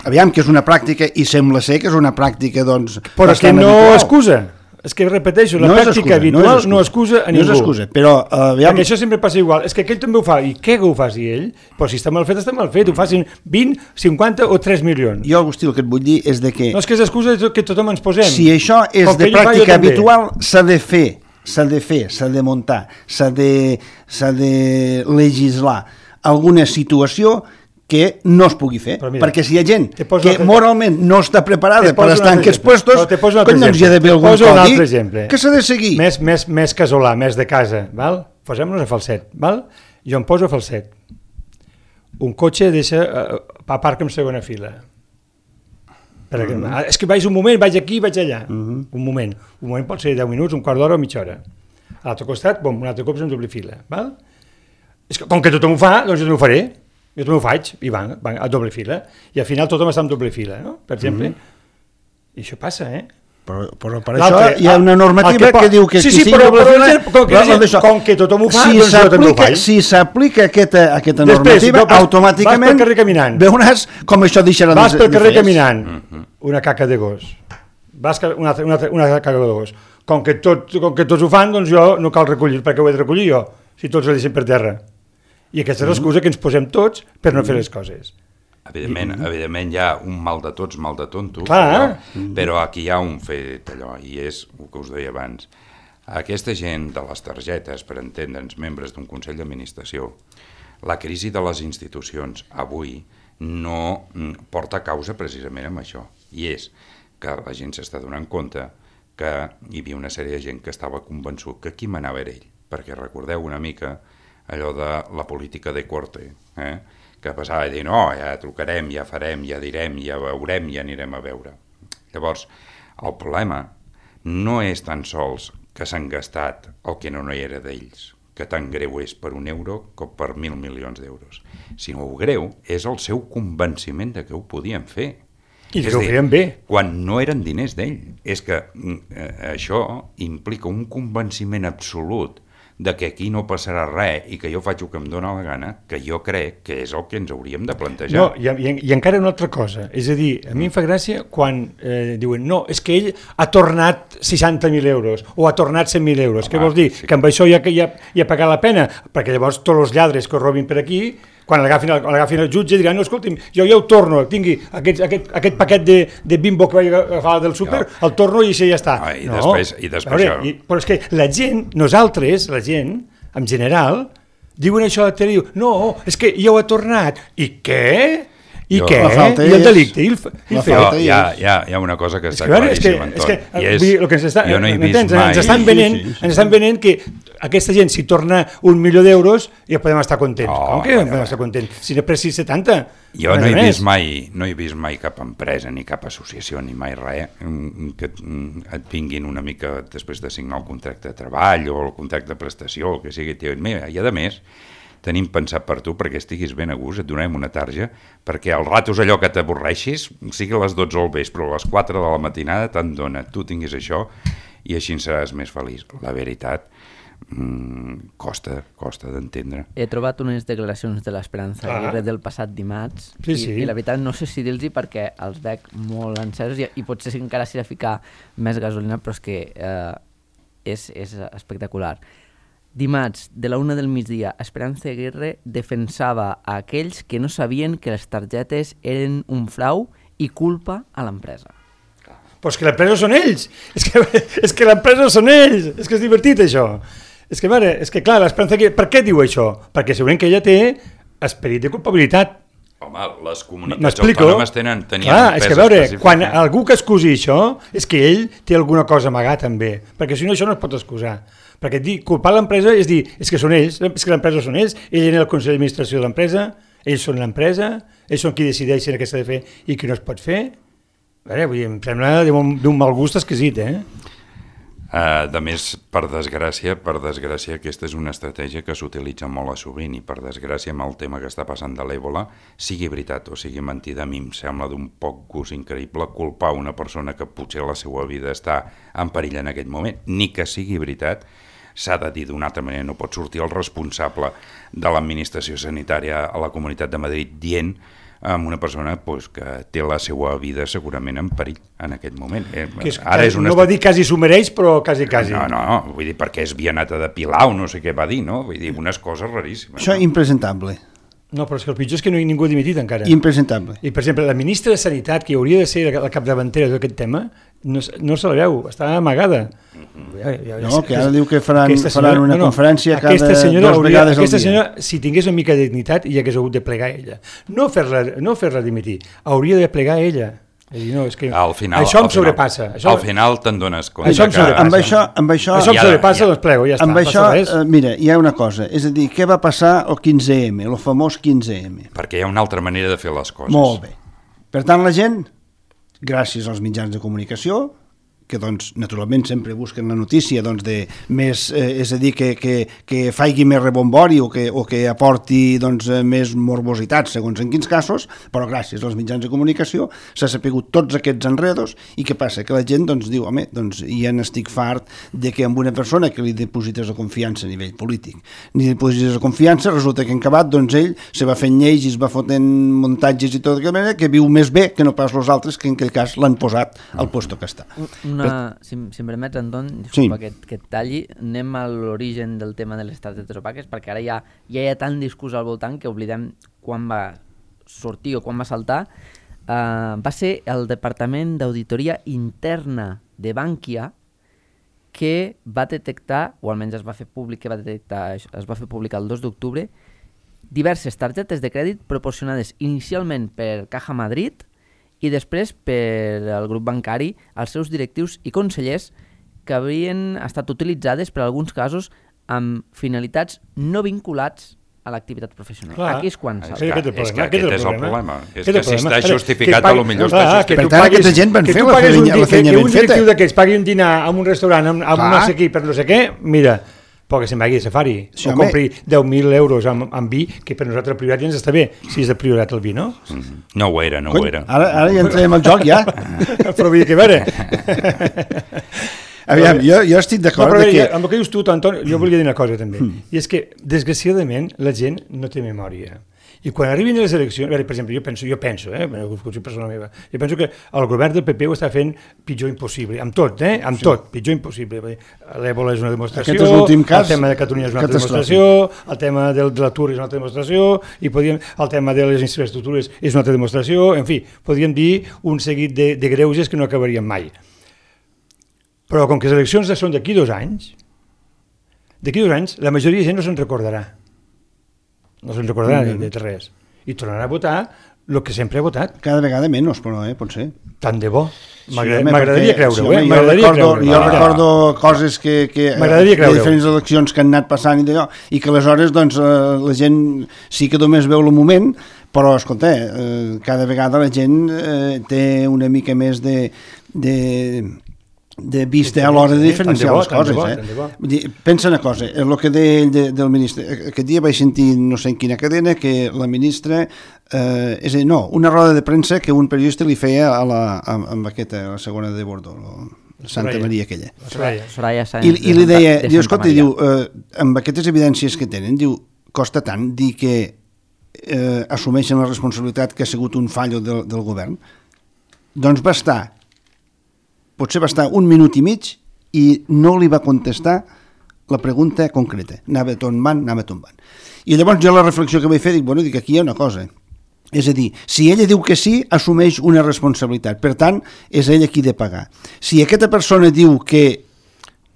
aviam, que és una pràctica, i sembla ser que és una pràctica, doncs, Però és que bastant no habitual. excusa. És que repeteixo, la No és pràctica excusa, habitual no excusa a ningú. No és excusa, però aviam... Perquè això sempre passa igual. És que aquell també ho fa. I què que ho faci ell? Però si està mal fet, està mal fet. Ho facin vint, cinquanta o tres milions. Jo, Agustí, el que et vull dir és de que... No és que és excusa que tothom ens posem. Si això és Com de que ell ho fa, jo pràctica també. habitual, s'ha de fer, s'ha de fer, s'ha de muntar, s'ha de, s'ha de legislar alguna situació que no es pugui fer, mira, perquè si hi ha gent que altre... moralment no està preparada per estar en aquests puestos, cony, doncs hi ha d'haver algun codi que s'ha de seguir. Més, més, més casolà, més de casa, val? Posem-nos a falset, val? Jo em poso a falset. Un cotxe deixa, uh, aparca en segona fila. Per mm -hmm. És que vaig un moment, vaig aquí, vaig allà. Mm -hmm. Un moment. Un moment pot ser deu minuts, un quart d'hora o mitja hora. A l'altre costat, bom, un altre cop en doble fila. Val? És que, com que tothom ho fa, doncs jo també ho faré. Jo també ho faig, i van, van a doble fila. I al final tothom està en doble fila, no? Per exemple. Mm -hmm. I això passa, eh? Però, però per això hi ha una normativa que, que diu que sí, sí, sí, però, doble però, fila... Com que, com, com que tothom ho fa, si doncs jo també ho faig. Si s'aplica aquesta, aquesta normativa, Després, automàticament vas pel carrer caminant. veuràs com això deixarà vas de, pel carrer de caminant, una caca de gos. Vas una, una, una caca de gos. Com que, tot, com que tots ho fan, doncs jo no cal recollir, perquè ho he de recollir jo, si tots ho deixen per terra. I aquesta és l'excusa que ens posem tots per no fer les coses. Evidentment, mm -hmm. evidentment hi ha un mal de tots, mal de tontos, Clar. però, però aquí hi ha un fet allò, i és el que us deia abans. Aquesta gent de les targetes, per entendre'ns, membres d'un Consell d'Administració, la crisi de les institucions avui no porta causa precisament amb això, i és que la gent s'està donant compte que hi havia una sèrie de gent que estava convençut que qui manava era ell, perquè recordeu una mica allò de la política de corte, eh? que passava a dir, no, ja trucarem, ja farem, ja direm, ja veurem, ja anirem a veure. Llavors, el problema no és tan sols que s'han gastat el que no hi era d'ells, que tan greu és per un euro com per mil milions d'euros, sinó el greu és el seu convenciment de que ho podien fer. I que ho feien bé. Quan no eren diners d'ell. És que eh, això implica un convenciment absolut de que aquí no passarà res i que jo faig el que em dóna la gana, que jo crec que és el que ens hauríem de plantejar. No, i, i, i encara una altra cosa, és a dir, a mi em fa gràcia quan eh, diuen, no, és que ell ha tornat seixanta mil euros o ha tornat cent mil euros. Home, què vols dir? Sí. Que amb això ja, ja, ja ha pagat la pena? Perquè llavors tots els lladres que robin per aquí, quan l'agafin el jutge diran, no, escolti'm, jo ja ho torno, tingui aquest, aquest, aquest paquet de, de Bimbo que vaig agafar del súper, no. el torno i això ja està. Ah, i no, després, i després veure, i, però és que la gent, nosaltres, la gent, en general, diuen això a la tele, diu, no, és que ja ho ha tornat. I què? I jo, què? I el delicte? I el, i el fet? No, hi, ha, hi, ha, hi ha una cosa que està claríssima, Anton. És que, és que, és, que ens, està, jo no he vist entens, mai... Ens estan venent, sí, sí, sí. ens estan venent que aquesta gent, si torna un milió d'euros, ja podem estar contents. Oh, Com que ja podem estar contents? Si n'he pres sis cents i setanta... Jo no he, vist mai, no he vist mai cap empresa, ni cap associació, ni mai res, que et vinguin una mica després de signar el contracte de treball o el contracte de prestació, el que sigui. Mira, i a més, tenim pensat per tu perquè estiguis ben a gust, et donarem una tarja, perquè al ratos allò que t'avorreixis, sigui a les dotze del vespre o a les quatre de la matinada, te'n dona, tu tinguis això i així seràs més feliç. La veritat, Mm, costa, costa d'entendre. He trobat unes declaracions de l'Esperanza ah. Aguirre del passat dimarts sí, sí. I, i la veritat no sé si dir-los perquè els veig molt encesos i, i potser si encara s'hi ha de ficar més gasolina, però és que eh, és, és espectacular. Dimarts, de la una del migdia, Esperanza Aguirre defensava a aquells que no sabien que les targetes eren un frau i culpa a l'empresa. Però és que l'empresa són ells, és que, és que l'empresa són ells, és que és divertit això. És que, mare, és que clar, l'Esperanza Aguirre, per què diu això? Perquè segurament que ella té esperit de culpabilitat. Home, les comunitats autònomes tenen, tenien clar, és que a veure, específic. Quan algú que excusi això, és que ell té alguna cosa amagat també, perquè si no això no es pot excusar. Perquè dir, culpar l'empresa és dir, és que són ells, és que l'empresa són ells, ell és el Consell d'Administració de l'empresa, ells són l'empresa, ells són qui decideixen què s'ha de fer i què no es pot fer. A veure, vull dir, em sembla d'un mal gust exquisit, eh? Uh, de més, per desgràcia, per desgràcia, aquesta és una estratègia que s'utilitza molt a sovint i per desgràcia amb el tema que està passant de l'èbola, sigui veritat o sigui mentida, a mi em sembla d'un poc gust increïble culpar una persona que potser la seva vida està en perill en aquest moment, ni que sigui veritat, s'ha de dir d'una altra manera, no pot sortir el responsable de l'administració sanitària a la Comunitat de Madrid dient amb una persona pues, que té la seva vida segurament en perill en aquest moment. Eh, que és, Ara és una no va dir quasi s'ho mereix, però quasi, quasi. No, no, no, vull dir, perquè és vianata de Pilau, no sé què va dir, no? Vull dir, unes coses raríssimes. Això és no? impresentable. No, però és que el pitjor és que no hi ningú ha dimitit encara. Impresentable. I, per exemple, la ministra de Sanitat, que hauria de ser la capdavantera d'aquest tema, no, no se la veu, està amagada. Uh-huh. Ja, ja, no, que ara diu que faran, senyora, faran una no, no, conferència cada senyora dues hauria, vegades aquesta al dia. Senyora, si tingués una mica de dignitat, hi hagués hagut de plegar ella. No fer-la no fer-la dimitir, hauria de plegar ella. Dir, no, és que al final, això em al sobrepassa. Final, això, al final te'n dones compte. Això em sobrepassa. Amb això, amb això, això em sobrepassa, ja, doncs plego, ja està. Amb això, uh, mira, hi ha una cosa, és a dir, què va passar el quinze eme, el famós quinze eme? Perquè hi ha una altra manera de fer les coses. Molt bé. Per tant, la gent, gràcies als mitjans de comunicació, que doncs, naturalment sempre busquen la notícia doncs, de més, eh, és a dir, que, que, que faigui més rebombori o que, o que aporti doncs, més morbositat, segons en quins casos, però gràcies als mitjans de comunicació s'ha sapigut tots aquests enredos i què passa? Que la gent doncs, diu, home, doncs, ja n'estic fart de que amb una persona que li deposites la confiança a nivell polític, ni deposites la confiança, resulta que en acabat doncs, ell se va fent lleis i es va fotent muntatges i tot d'aquella manera que viu més bé que no pas els altres que en aquell cas l'han posat al lloc que està. Una, si, si em permets, Anton, disculpa sí. que, que et talli, anem a l'origen del tema de les targetes opaques, perquè ara ja, ja hi ha tant discurs al voltant que oblidem quan va sortir o quan va saltar. Uh, va ser el Departament d'Auditoria Interna de Bankia que va detectar, o almenys es va fer públic, que va detectar, es va fer públic el dos d'octubre, diverses targetes de crèdit proporcionades inicialment per Caja Madrid i després per al grup bancari als seus directius i consellers que havien estat utilitzades per alguns casos amb finalitats no vinculats a l'activitat professional. Clar, aquí és quan és que, és que aquest és el problema. És que si està justificat, a lo millor està justificat. Per tant, aquesta gent van fer la feina ben feta. Que un directiu d'aquests pagui un dinar en un restaurant amb no sé qui per no sé què, mira, però que se'n vagi de safari, sí, o home. Compri deu mil euros amb, amb vi, que per nosaltres el priorat ja ens està bé, si és de priorat el vi, no? Mm-hmm. No ho era, no Cony, ho era. Ara, ara ja entrem al joc, ja. Però vull dir que, a veure... Aviam, jo, jo estic d'acord no, que... Ja, amb el que dius tu, Anton, jo volia dir una cosa també, mm. i és que, desgraciadament, la gent no té memòria. I quan arribin les eleccions, per exemple, jo penso, jo penso, eh, persona meva, jo penso que el govern del P P ho està fent pitjor impossible, amb tot, eh, amb sí. tot, pitjor impossible. L'Ébola és una demostració, cas, el tema de Catalunya és una altra demostració, el tema del, de l'atur és una altra demostració, i podríem, el tema de les infraestructures és una altra demostració, en fi, podríem dir un seguit de, de greuges que no acabarien mai. Però com que les eleccions són d'aquí dos anys, d'aquí dos anys la majoria de gent no se'n recordarà. No se'n recordarà mm -hmm. de res. I tornarà a votar el que sempre ha votat. Cada vegada menys, però eh, pot ser. Tant de bo. M'agradaria sí, creure-ho, sí, eh? Jo recordo, creure jo recordo coses que, que de diferents eleccions que han anat passant i d'allò, i que aleshores doncs, la gent sí que només veu el moment, però, escolta, eh, cada vegada la gent eh, té una mica més de... de de vista a l'hora de diferenciar les coses. Eh? Pensa una cosa, el que deia ell de, del ministre, aquest dia vaig sentir no sé en quina cadena que la ministra, eh, és a dir, no, una roda de premsa que un periodista li feia a la, a, amb aquesta, a la segona de Bordeaux, la Santa Soraya. Maria aquella. Soraya. Soraya I, I li deia, diu, escolta, diu, eh, amb aquestes evidències que tenen, diu, costa tant dir que eh, assumeixen la responsabilitat que ha sigut un fallo del, del govern? Doncs va estar potser va estar un minut i mig i no li va contestar la pregunta concreta. Anava tombant, anava tombant. I llavors jo la reflexió que vaig fer, dic, bueno, dic, aquí hi ha una cosa. És a dir, si ella diu que sí, assumeix una responsabilitat. Per tant, és ella qui ha de pagar. Si aquesta persona diu que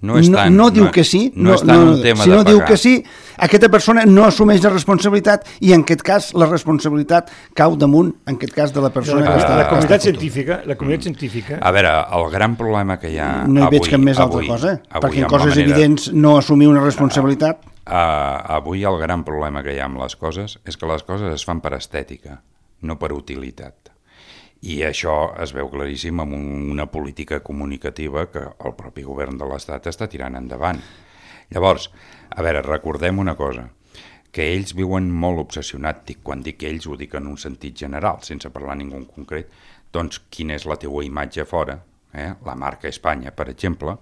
no, és tant, no, no diu no, que sí, no, no, no, un tema si no de diu pagar. que sí, aquesta persona no assumeix la responsabilitat i en aquest cas la responsabilitat cau damunt, en aquest cas, de la persona la, que està... La comunitat científica, la comunitat científica... A veure, el gran problema que hi ha no hi avui... veig cap més avui, altra cosa, avui, perquè en coses coses manera, evidents no assumir una responsabilitat... Uh, uh, avui el gran problema que hi ha amb les coses és que les coses es fan per estètica, no per utilitat. I això es veu claríssim amb una política comunicativa que el propi govern de l'Estat està tirant endavant. Llavors, a veure, recordem una cosa, que ells viuen molt obsessionats, dic, quan dic ells ho dic en un sentit general, sense parlar ningú en concret, doncs quina és la teua imatge fora, eh? La marca Espanya, per exemple,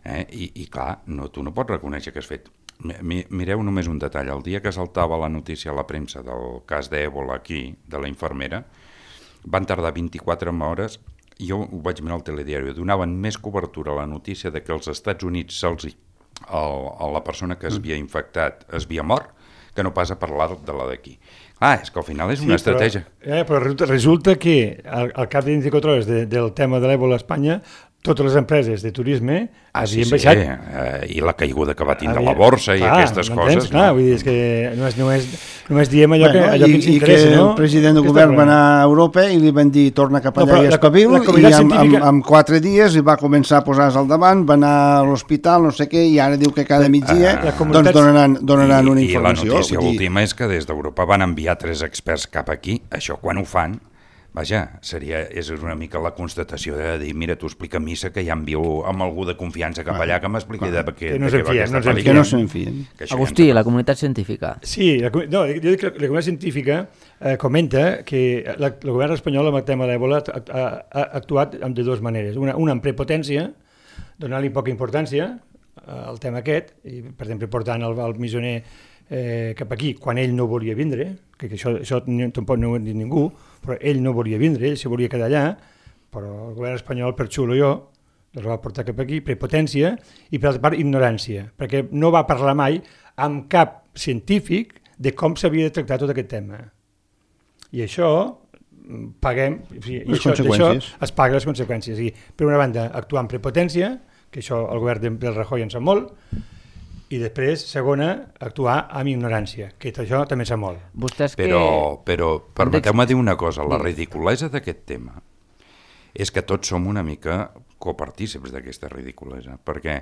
eh? I, i clar, no, tu no pots reconèixer que has fet... Mireu només un detall, el dia que saltava la notícia a la premsa del cas d'Ébola aquí, de la infermera, van tardar vint-i-quatre hores, jo ho vaig mirar al telediari, donaven més cobertura a la notícia de que als Estats Units se'ls, la persona que es havia infectat es havia mort, que no pas a parlar de la d'aquí. Ah, és que al final és una sí, estratègia. Però, eh, però resulta que al, al cap de vint-i-quatre hores de, del tema de l'Ébola a Espanya, totes les empreses de turisme ah, havien sí, baixat... Sí, eh, i la caiguda que va tindre havia... la borsa i clar, aquestes coses. Clar, no? Vull dir, és que només, només, només diem allò, bueno, que, allò i, que ens interessa, no? I que no? el president del govern va anar a Europa i li van dir torna cap allà no, i espavil, i amb, científica... amb, amb quatre dies va començar a posar-se al davant, va anar a l'hospital, no sé què, i ara diu que cada migdia ah, comunitat... doncs donaran, donaran I, una informació. I la notícia dir... última és que des d'Europa van enviar tres experts cap aquí, això quan ho fan, vaja, seria, és una mica la constatació de dir, mira, tu explica missa que ja envio amb algú de confiança cap allà que m'expliqui de, de, que no de què va aquesta pel·lícula. Que no se'n fien. Agustí, la comunitat científica. Sí, la, no, jo dic que la comunitat científica eh, comenta que la, el govern espanyol amb el tema de l'Ebola ha, ha, ha actuat de dues maneres. Una, una amb prepotència, donant-li poca importància eh, al tema aquest, i, per exemple, portant el, el missioner eh, cap aquí, quan ell no volia vindre, que, que això, això tampoc no ho ha dit ningú, però ell no volia vindre, ell se volia quedar allà, però el govern espanyol, per xulo jo, els va portar cap aquí, prepotència, i per altra part ignorància, perquè no va parlar mai amb cap científic de com s'havia de tractar tot aquest tema. I això paguem, o sigui, les això, conseqüències. Això es paga les conseqüències. I, per una banda, actuar amb prepotència, que això el govern del Rajoy en sap molt, i després, segona, actuar amb ignorància, que això també sap molt. Vostès que... Però, però permeteu-me dir una cosa, la ridiculesa d'aquest tema és que tots som una mica copartícips d'aquesta ridiculesa, perquè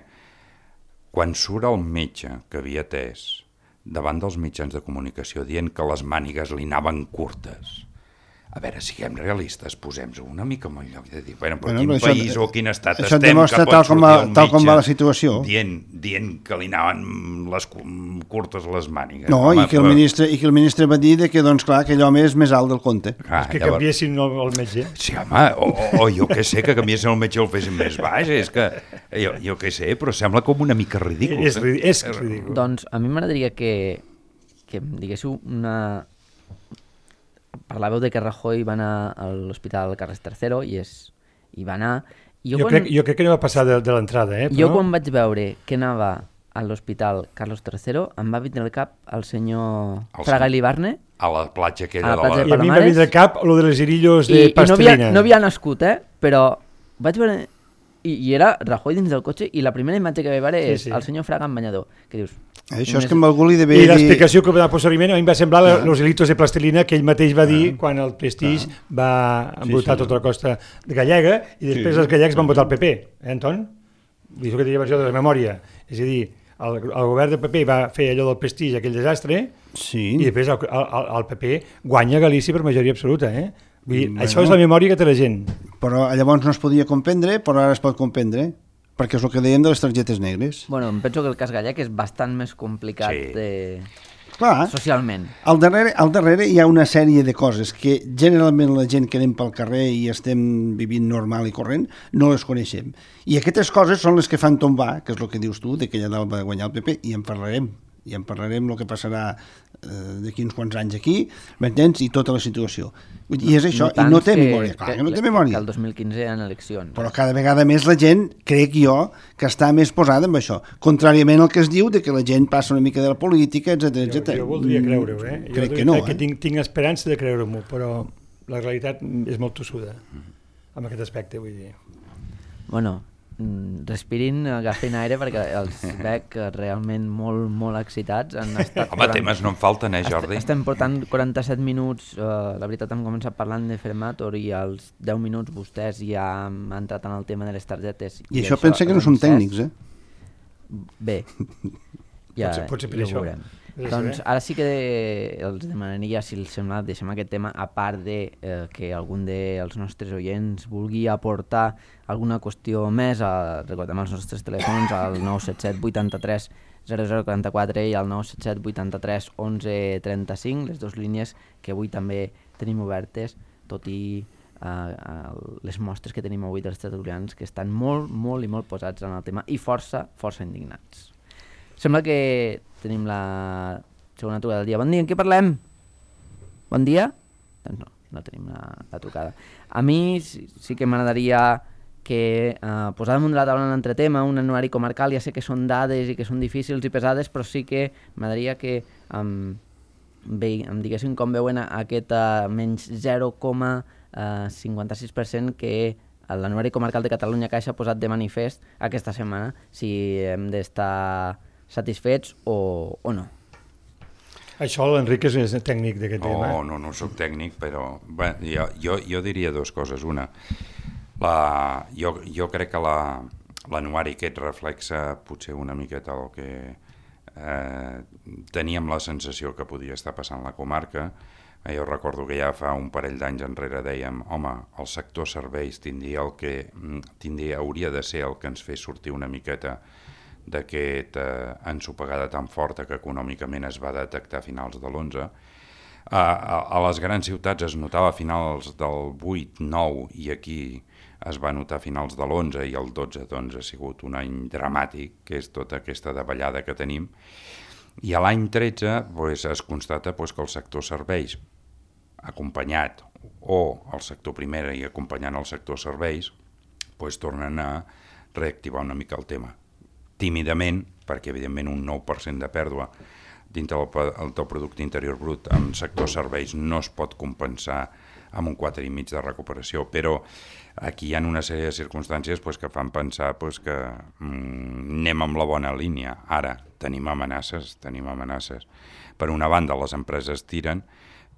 quan surt el metge que havia atès davant dels mitjans de comunicació dient que les mànigues li anaven curtes, a veure, siguem realistes, posem-nos una mica en el lloc de dir, bueno, però bueno, quin això, país o quin estat això estem que pot tal sortir va, el tal com va la metge situació. dient, dient que li anaven les curtes les mànigues. No, home, i, que el ministre, i que el ministre va dir que, doncs, clar, que aquell home és més alt del compte. Ah, és que llavors... canviessin el, el metge. Sí, home, o, o, o jo què sé, que canviessin el metge i el fessin més baix, és que jo, jo què sé, però sembla com una mica ridícul. És, eh? és ridícul. Doncs a mi m'agradaria que, que em diguéssiu una... Parlàveu de que Rajoy va anar a l'Hospital Carles tercero i, és, i va anar... Jo, jo, quan, crec, jo crec que no va passar de, de l'entrada, eh? Però... Jo quan vaig veure que anava a l'Hospital Carlos tercero em va vindre al cap el senyor el Fraga Ilibarne a la platja aquella la platja de la... I a mi em va vindre al cap lo de les irillos de I, pastelina. I no havia, no havia nascut, eh? Però vaig veure... I, I era Rajoy dins del cotxe i la primera imatge que vaig veure sí, és sí. el senyor Fraga en banyador, que dius... Això és que amb algú li devia dir... I dir... l'explicació que va dar posteriorment a mi em va semblar ah. los hilitos de plastilina que ell mateix va dir ah. quan el Prestige ah. va embrutar sí, sí. tota la costa gallega i després sí. els gallecs van votar el P P, eh, Anton? Dius que tenia versió de la memòria. És a dir, el, el govern del P P va fer allò del Prestige, aquell desastre, sí. i després el, el, el P P guanya Galícia per majoria absoluta, eh? Vull dir, bueno, això és la memòria que té la gent. Però llavors no es podia comprendre, però ara es pot comprendre. Perquè és el que dèiem de les targetes negres. Bueno, em penso que el cas gallec és bastant més complicat sí. de... Clar, socialment. Al darrere, al darrere hi ha una sèrie de coses que generalment la gent que anem pel carrer i estem vivint normal i corrent no les coneixem. I aquestes coses són les que fan tombar, que és el que dius tu, de que allà dalt va guanyar el P P, i en parlarem. I en parlarem el que passarà eh, d'aquí uns quants anys aquí, m'entens? I tota la situació. I és això, no i no té que, memòria, clar, que, que no té memòria. Que el dos mil quinze hi ha eleccions. Però cada vegada més la gent, crec jo, que està més posada en això. Contràriament al que es diu de que la gent passa una mica de la política, etcètera, etcètera. Jo, jo voldria creure-ho, eh? Jo crec que no, crec eh? que tinc, tinc esperança de creure-m'ho, però la realitat és molt tossuda, en aquest aspecte, vull dir. Bueno, respirin, agafin aire perquè els veig realment molt, molt excitats. Han estat Home, temes no en falten, eh, Jordi? Estem portant quaranta-set minuts, uh, la veritat hem començat parlant de Fermator i als deu minuts vostès ja han entrat en el tema de les targetes. I, I això, això pensa que no som tècnics, eh? Bé, ja, potser, potser per ja ho això. veurem. Doncs ara sí que els demanaria, si els sembla, deixem aquest tema, a part de eh, que algun dels nostres oients vulgui aportar alguna qüestió més, a, recordem els nostres telèfons al nou set set vuitanta-tres zero zero quaranta-quatre i al nou set set vuitanta-tres onze trenta-cinc, les dues línies que avui també tenim obertes, tot i eh, les mostres que tenim avui dels tertulians que estan molt, molt i molt posats en el tema i força, força indignats. Sembla que tenim la segona trucada del dia. Bon dia, en què parlem? Bon dia? Doncs no, no tenim la, la trucada. A mi sí, sí que m'agradaria que eh, posar damunt de la taula un altre tema, un anuari comarcal. Ja sé que són dades i que són difícils i pesades, però sí que m'agradaria que um, ve, em diguessin com veuen aquest uh, menys zero coma cinquanta-sis per cent que l'Anuari Comarcal de Catalunya Caixa ha posat de manifest aquesta setmana si hem d'estar satisfets o, o no. Això l'Enric és tècnic d'aquest oh, tema. No, no soc tècnic, però bé, jo, jo, jo diria dues coses. Una, la, jo, jo crec que la, l'anuari aquest reflexa potser una miqueta el que eh, teníem la sensació que podia estar passant la comarca. Eh, jo recordo que ja fa un parell d'anys enrere dèiem, home, el sector serveis tindria el que tindria, hauria de ser el que ens fes sortir una miqueta d'aquesta eh, ensopegada tan forta que econòmicament es va detectar a finals de l'onze. A, a, a les grans ciutats es notava a finals del vuit nou i aquí es va notar a finals de l'onze i el dotze doncs, ha sigut un any dramàtic, que és tota aquesta davallada que tenim. I a l'any tretze doncs, es constata doncs, que el sector serveis, acompanyat, o el sector primera i acompanyant el sector serveis, doncs, tornen a reactivar una mica el tema. Tímidament, perquè evidentment un nou per cent de pèrdua dintre del teu producte interior brut en sector serveis no es pot compensar amb un quatre i mig de recuperació, però aquí hi ha una sèrie de circumstàncies pues, que fan pensar pues, que mm, anem amb la bona línia. Ara tenim amenaces, tenim amenaces. Per una banda, les empreses tiren,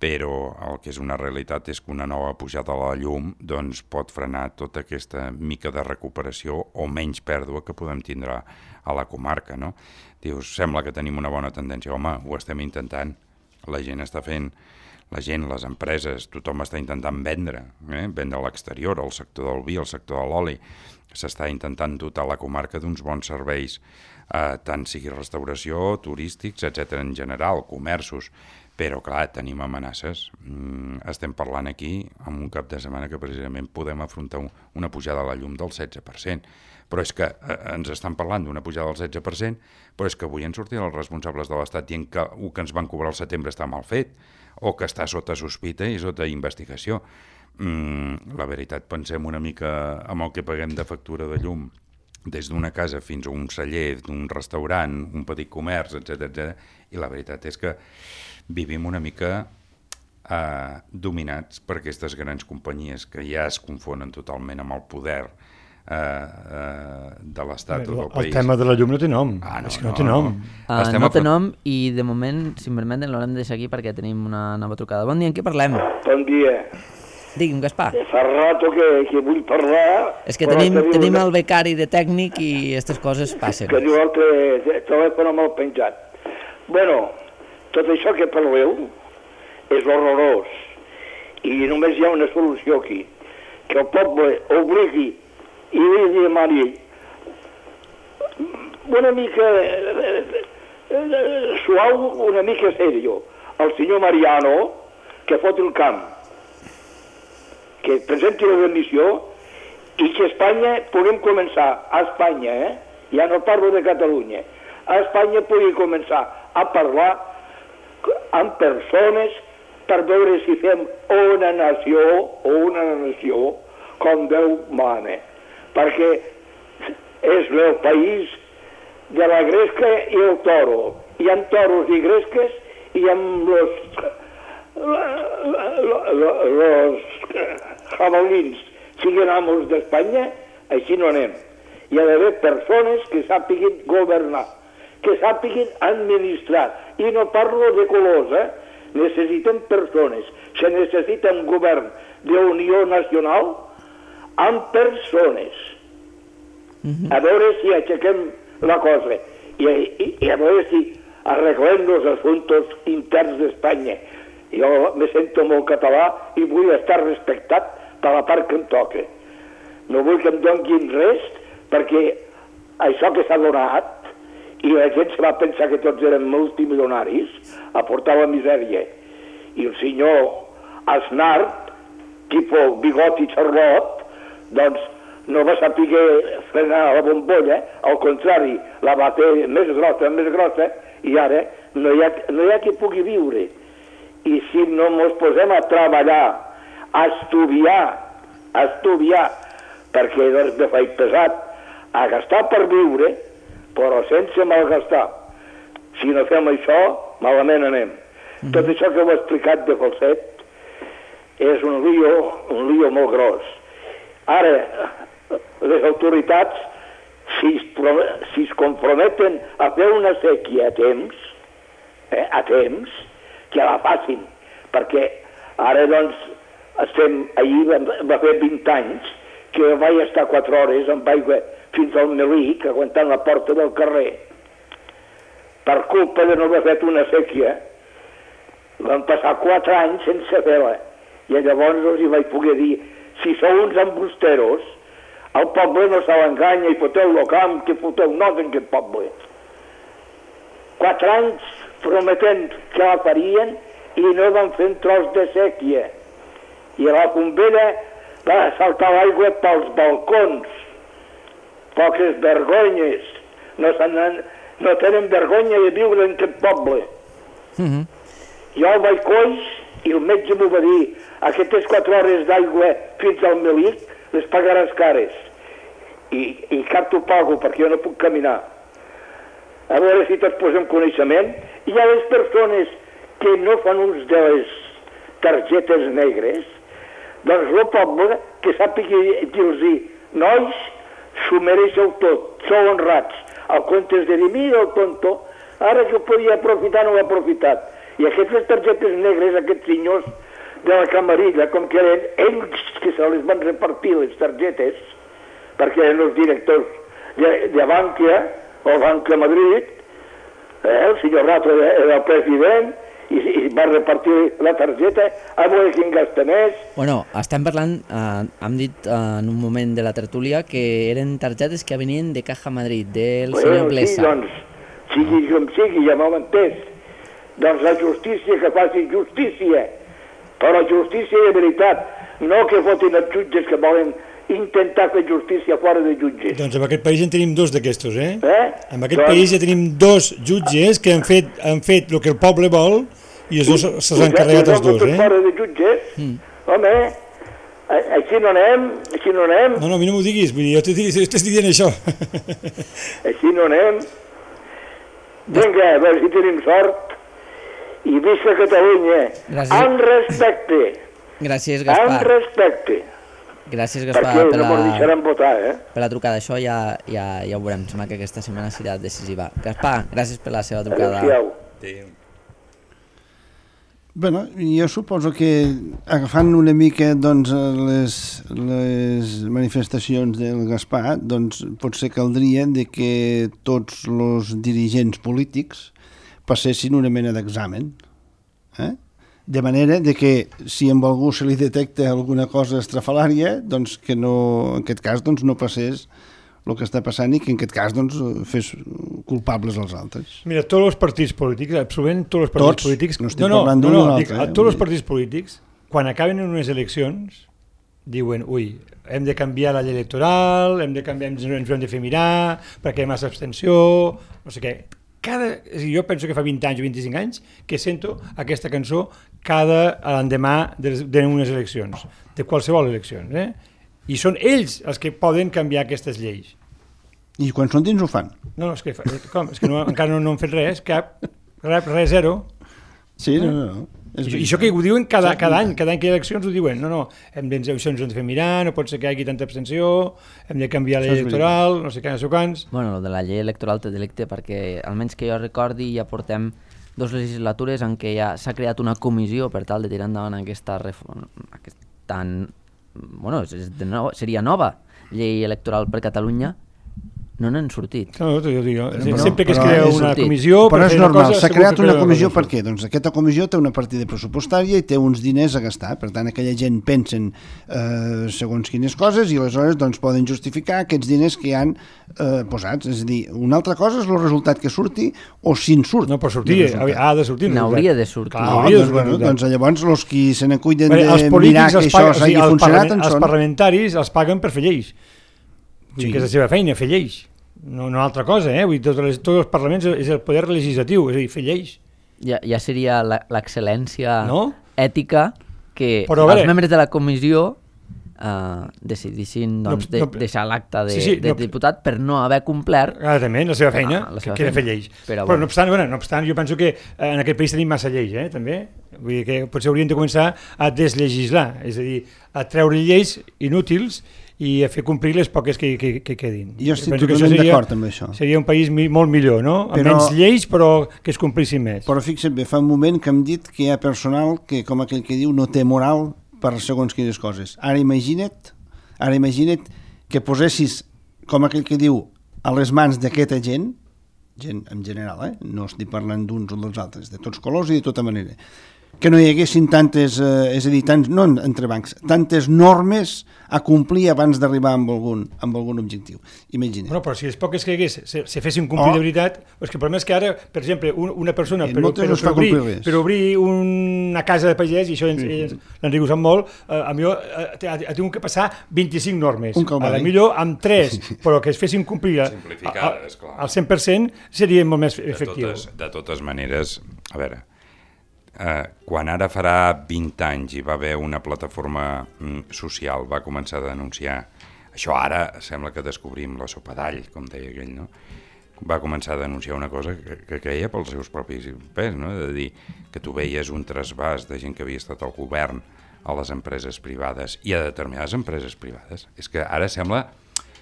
però el que és una realitat és que una nova pujada a la llum doncs, pot frenar tota aquesta mica de recuperació o menys pèrdua que podem tindre a la comarca. No? Dius, sembla que tenim una bona tendència. Home, ho estem intentant. La gent està fent, la gent, les empreses, tothom està intentant vendre, eh? vendre a l'exterior, el sector del vi, el sector de l'oli. S'està intentant dotar la comarca d'uns bons serveis, eh, tant sigui restauració, turístics, etcètera en general, comerços. Però, clar, tenim amenaces. Mm, estem parlant aquí en un cap de setmana que precisament podem afrontar un, una pujada a la llum del setze per cent. Però és que eh, ens estan parlant d'una pujada del setze per cent, però és que avui han sortit els responsables de l'Estat dient que el que ens van cobrar al setembre està mal fet o que està sota sospita i sota investigació. Mm, la veritat, pensem una mica amb el que paguem de factura de llum des d'una casa fins a un celler, d'un restaurant, un petit comerç, etcètera, etcètera. I la veritat és que vivim una mica eh, dominats per aquestes grans companyies que ja es confonen totalment amb el poder eh, eh, de l'Estat o del el país. El tema de la llum no té nom. Ah, no, és que no, no té nom. No, uh, no té nom i de moment, si em permeten, l'haurem de deixar aquí perquè tenim una nova trucada. Bon dia, en què parlem? Bon dia. Digui'm, Gaspar. Fa rato que, que vull parlar... És que tenim, tenim el becari de tècnic i aquestes coses passen. Que diu el telèfon mal penjat. Bueno, tot això que parleu és horrorós i només hi ha una solució aquí, que el poble obligui i li demani una mica suau, una mica serio al senyor Mariano que fot el camp, que presenti la remissió i que a Espanya puguem començar, a Espanya, eh? ja no parlo de Catalunya, a Espanya pugui començar a parlar amb persones per veure si fem una nació o una nació com Déu mana, perquè és el país de la gresca i el toro. Hi ha toros i gresques i amb los, los jabalins siguin amos d'Espanya, així no anem. Hi ha d'haver persones que sàpiguin governar, que sàpiguin administrar. I no parlo de colors, eh? Necessitem persones. Se necessita un govern d'unió nacional amb persones. A veure si aixequem la cosa. I, i, i a veure si arreglem els assumptes interns d'Espanya. Jo me sento molt català i vull estar respectat per la part que em toca. No vull que em donguin res perquè això que s'ha donat i la gent se va pensar que tots eren multimilionaris a portar la misèria. I el senyor Aznar, tipus bigot i xarlot, doncs no va saber frenar la bombolla, al contrari, la va fer més grossa, més grossa, i ara no hi ha, no hi ha qui pugui viure. I si no ens posem a treballar, a estudiar, a estudiar, perquè doncs me faig pesat, a gastar per viure, però sense malgastar. Si no fem això, malament anem. Mm-hmm. Tot això que heu explicat de Falset és un lío, un lío molt gros. Ara, les autoritats, si es, si es comprometen a fer una sèquia a temps, eh, a temps, que la facin, perquè ara, doncs, estem, ahir va, va fer vint anys que vaig estar quatre hores amb aigua fins al Melic, aguantant la porta del carrer. Per culpa de no haver fet una sèquia, van passar quatre anys sense fer-la. I llavors els hi vaig poder dir, si sou uns embusteros, el poble no se l'enganya i foteu el camp, que foteu nos en aquest poble. Quatre anys prometent que la farien i no van fer un tros de sèquia. I la bombera va saltar l'aigua pels balcons. Poques vergonyes. No, no tenen vergonya de viure en aquest poble. Mm-hmm. Jo vaig coix i el metge m'ho va dir, aquestes quatre hores d'aigua fins al Melic les pagaràs cares. I, i cap t'ho pago perquè jo no puc caminar. A veure si te'ls posem coneixement. Hi ha les persones que no fan ús de les targetes negres, doncs el poble que sàpiga dir-los, nois, s'ho mereixeu tot, sou honrats. El comptes de dir, mira el tonto, ara que ho podia aprofitar no l'ha aprofitat. I aquestes targetes negres, aquests senyors de la camarilla, com que eren ells que se les van repartir les targetes, perquè eren els directors de, de Bankia, o Banca Madrid, eh, el senyor Rato era el president, i, i va repartir la targeta, a veure quin gasta més. Bueno, estem parlant, eh, hem dit eh, en un moment de la tertúlia que eren targetes que venien de Caja Madrid, del bueno, senyor Blesa. Sí, doncs, sigui com sigui, ja m'ho entès. Doncs la justícia que faci justícia, però justícia de veritat, no que fotin els jutges que volen intentar fer justícia fora de jutges. Doncs en aquest país en tenim dos d'aquestos, eh? eh? En aquest doncs... país ja tenim dos jutges que han fet, han fet el que el poble vol i els dos se'ls han carregat els dos, eh? Fora de jutges, mm. home, així no anem, així no anem. No, no, a mi no m'ho diguis, vull dir, jo t'estic dient això. Així no anem. Vinga, a veure si tenim sort. I visca Catalunya. Gràcies. Amb respecte. Gràcies, Gaspar. Amb respecte. Gràcies, Gaspar, per la... no votar, eh? per la trucada. Això ja, ja, ja ho veurem. Sembla que aquesta setmana serà decisiva. Gaspar, gràcies per la seva trucada. Adéu. Bueno, jo suposo que agafant una mica doncs, les, les manifestacions del Gaspar, doncs potser caldria de que tots els dirigents polítics passessin una mena d'examen, eh? De manera de que si amb algú se li detecta alguna cosa estrafalària, doncs que no, en aquest cas doncs, no passés el que està passant i que en aquest cas doncs, fes culpables als altres. Mira, tots els partits polítics, absolutament tots els partits tots? polítics... No estic no, parlant no, no, no, altre, dic, eh? Tots els partits polítics, quan acaben en unes eleccions, diuen, ui, hem de canviar la llei electoral, hem de canviar, ens ho hem de fer mirar, perquè hi ha massa abstenció, no sé què. Cada, jo penso que fa vint anys o vint-i-cinc anys que sento aquesta cançó cada l'endemà d'unes eleccions, de qualsevol eleccions, eh? I són ells els que poden canviar aquestes lleis. I quan són dins ho fan? No, no, és que, com? És que no, encara no, no han fet res, cap, res, res zero. Sí, no, no, no. I, I això que ho diuen cada, cada any, cada any que hi ha eleccions ho diuen, no, no, hem de, això ens ho hem de fer mirar, no pot ser que hi hagi tanta abstenció, hem de canviar la llei electoral, no sé què, no sé quants... Bueno, el de la llei electoral té delicte perquè, almenys que jo recordi, ja portem dos legislatures en què ja s'ha creat una comissió per tal de tirar endavant aquesta reforma, aquesta, bueno, de no, seria nova llei electoral per Catalunya. No n'han sortit. No, no, jo dic, però, sempre que es crea una sortit. comissió... Però és normal, s'ha creat una comissió per què? Doncs aquesta comissió té una partida pressupostària i té uns diners a gastar, per tant aquella gent pensen eh, segons quines coses i aleshores doncs, poden justificar aquests diners que hi han eh, posats. És a dir, una altra cosa és el resultat que surti o si en surt. No, però sortir, ha de sortir. N'hauria de sortir. No, doncs, bueno, doncs llavors els qui se n'acuiden de mirar que això s'hagi funcionat en són... Els parlamentaris els paguen per fer lleis. O sigui que és la seva feina, fer lleis. No, no altra cosa, eh? Vull dir, tots, els, tots els parlaments és el poder legislatiu, és a dir, fer lleis. Ja, ja seria l'excel·lència no? ètica que però, els membres de la comissió uh, decidissin doncs, no, no, de, deixar l'acte de, sí, sí, de no, diputat per no haver complert clarament la seva feina, ah, la seva que era fer lleis. Però, però no, obstant, bueno, no obstant, jo penso que en aquest país tenim massa lleis, eh, també. Vull dir que potser hauríem de començar a deslegislar, és a dir, a treure lleis inútils i a fer complir les poques que, que, que quedin. Jo estic totalment d'acord amb això. Seria un país molt millor, no? Amb però, menys lleis, però que es complissin més. Però fixa't bé, fa un moment que hem dit que hi ha personal que, com aquell que diu, no té moral per segons quines coses. Ara imagina't, ara imagina't que posessis, com aquell que diu, a les mans d'aquesta gent, gent en general, eh? No estic parlant d'uns o dels altres, de tots colors i de tota manera, que no hi haguessin tantes, eh, és a dir, tants, no entre bancs, tantes normes a complir abans d'arribar amb algun, amb algun objectiu. Imagina. Bueno, però si les poques que hi hagués se, se fessin complir oh. de veritat, és que el problema és que ara, per exemple, un, una persona per, per, per, obrir, per obrir una casa de pagès, i això sí. l'Enric ho sap molt, eh, a millor eh, ha, ha tingut que passar vint-i-cinc normes. A la millor amb tres, però que es fessin complir a, a, a, al cent per cent seria molt més efectiu. De totes, de totes maneres, a veure, Uh, quan ara farà vint anys hi va haver una plataforma mm, social, va començar a denunciar, això ara sembla que descobrim la sopa d'all, com deia aquell, no? Va començar a denunciar una cosa que, que creia pels seus propis pes, no? De dir que tu veies un trasbàs de gent que havia estat al govern a les empreses privades i a determinades empreses privades. És que ara sembla,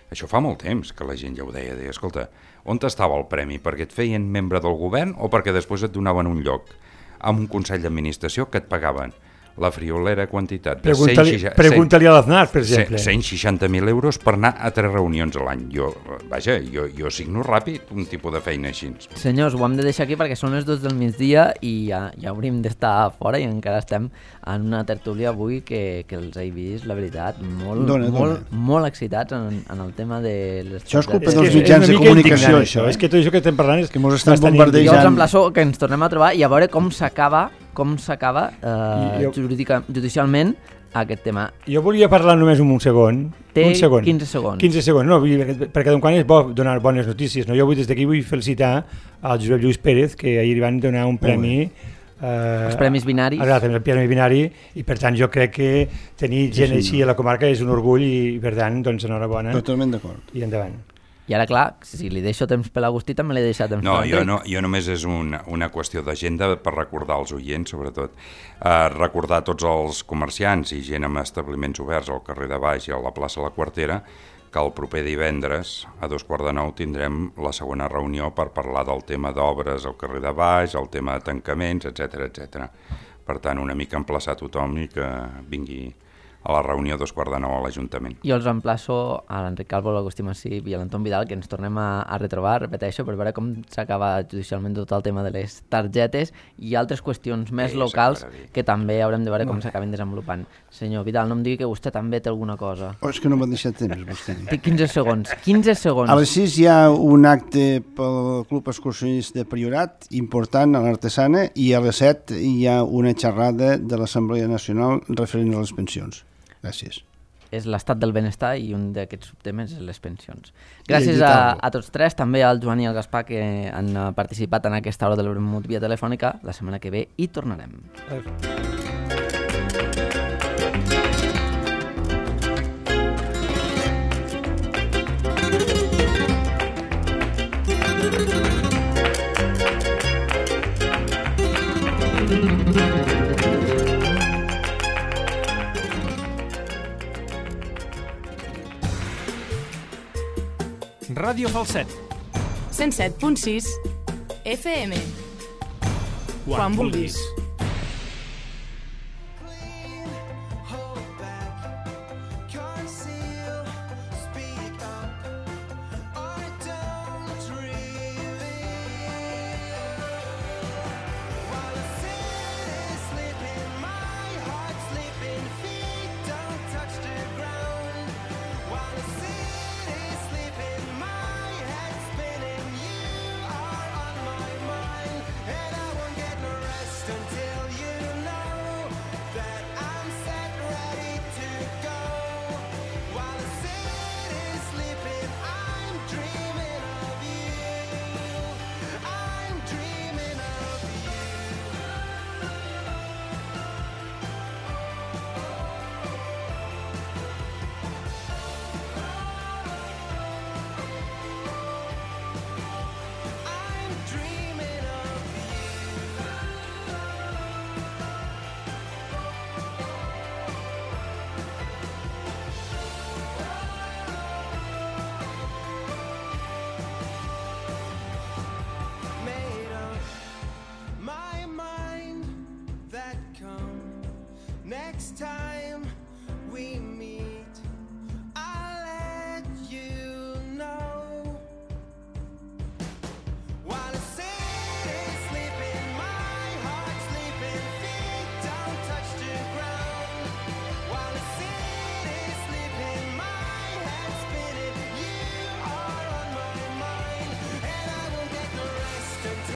això fa molt temps que la gent ja ho deia, deia, escolta, on estava el premi? Perquè et feien membre del govern o perquè després et donaven un lloc amb un consell d'administració que et pagaven la friolera quantitat de Pregunta-li, cent, pregunta-li a l'Aznar, per exemple. cent seixanta mil euros per anar a tres reunions a l'any. Jo, vaja, jo, jo signo ràpid un tipus de feina així. Senyors, ho hem de deixar aquí perquè són les dues del migdia i ja, ja hauríem d'estar fora i encara estem en una tertúlia avui que, que els he vist, la veritat, molt, dona, molt, dona. molt excitats en, en el tema de les... Això és culpa dels mitjans de comunicació, això. És que tot això que estem parlant és que mos estan bombardejant. Jo els emplaço que ens tornem a trobar i a veure com s'acaba com s'acaba eh, jo... judicialment aquest tema. Jo volia parlar només un segon. Té un segon. quinze segons. quinze segons, no, perquè d'un quan és bo donar bones notícies. No? Jo vull, des d'aquí vull felicitar al Josep Lluís Pérez, que ahir van donar un premi... Eh, els premis binaris. Exacte, el premi binari, i per tant jo crec que tenir gent sí, així a la comarca és un orgull i per tant, doncs, enhorabona. Totalment d'acord. I endavant. I ara, clar, si li deixo temps per l'Agustí, també l'he deixat temps no, per jo no, jo només és una, una qüestió d'agenda per recordar als oients, sobretot. Uh, recordar tots els comerciants i gent amb establiments oberts al carrer de Baix i a la plaça La Quartera que el proper divendres, a dos quarts de nou, tindrem la segona reunió per parlar del tema d'obres al carrer de Baix, el tema de tancaments, etcètera, etcètera. Per tant, una mica emplaçar tothom i que vingui a la reunió a dos quarts de nou a l'Ajuntament. Jo els emplaço a l'Enric Calvo, l'Agustí Massip i a l'Anton Vidal que ens tornem a, a retrobar, repeteixo, per veure com s'acaba judicialment tot el tema de les targetes i altres qüestions més sí, locals que també haurem de veure com s'acaben desenvolupant. Senyor Vidal, no em digui que vostè també té alguna cosa. Oh, és que no m'ha deixat temps, vostè. Té quinze segons, quinze segons. A les sis hi ha un acte pel Club Excursionista de Priorat, important a l'Artesana, i a les set hi ha una xerrada de l'Assemblea Nacional referent a les pensions. Gràcies. És l'estat del benestar i un d'aquests subtemes és les pensions. Gràcies a, a tots tres, també al Joan i al Gaspar que han participat en aquesta hora de l'Euromut via telefònica. La setmana que ve hi tornarem. Ràdio Falset. cent set punt sis F M. Quan, Quan vulguis. Until time.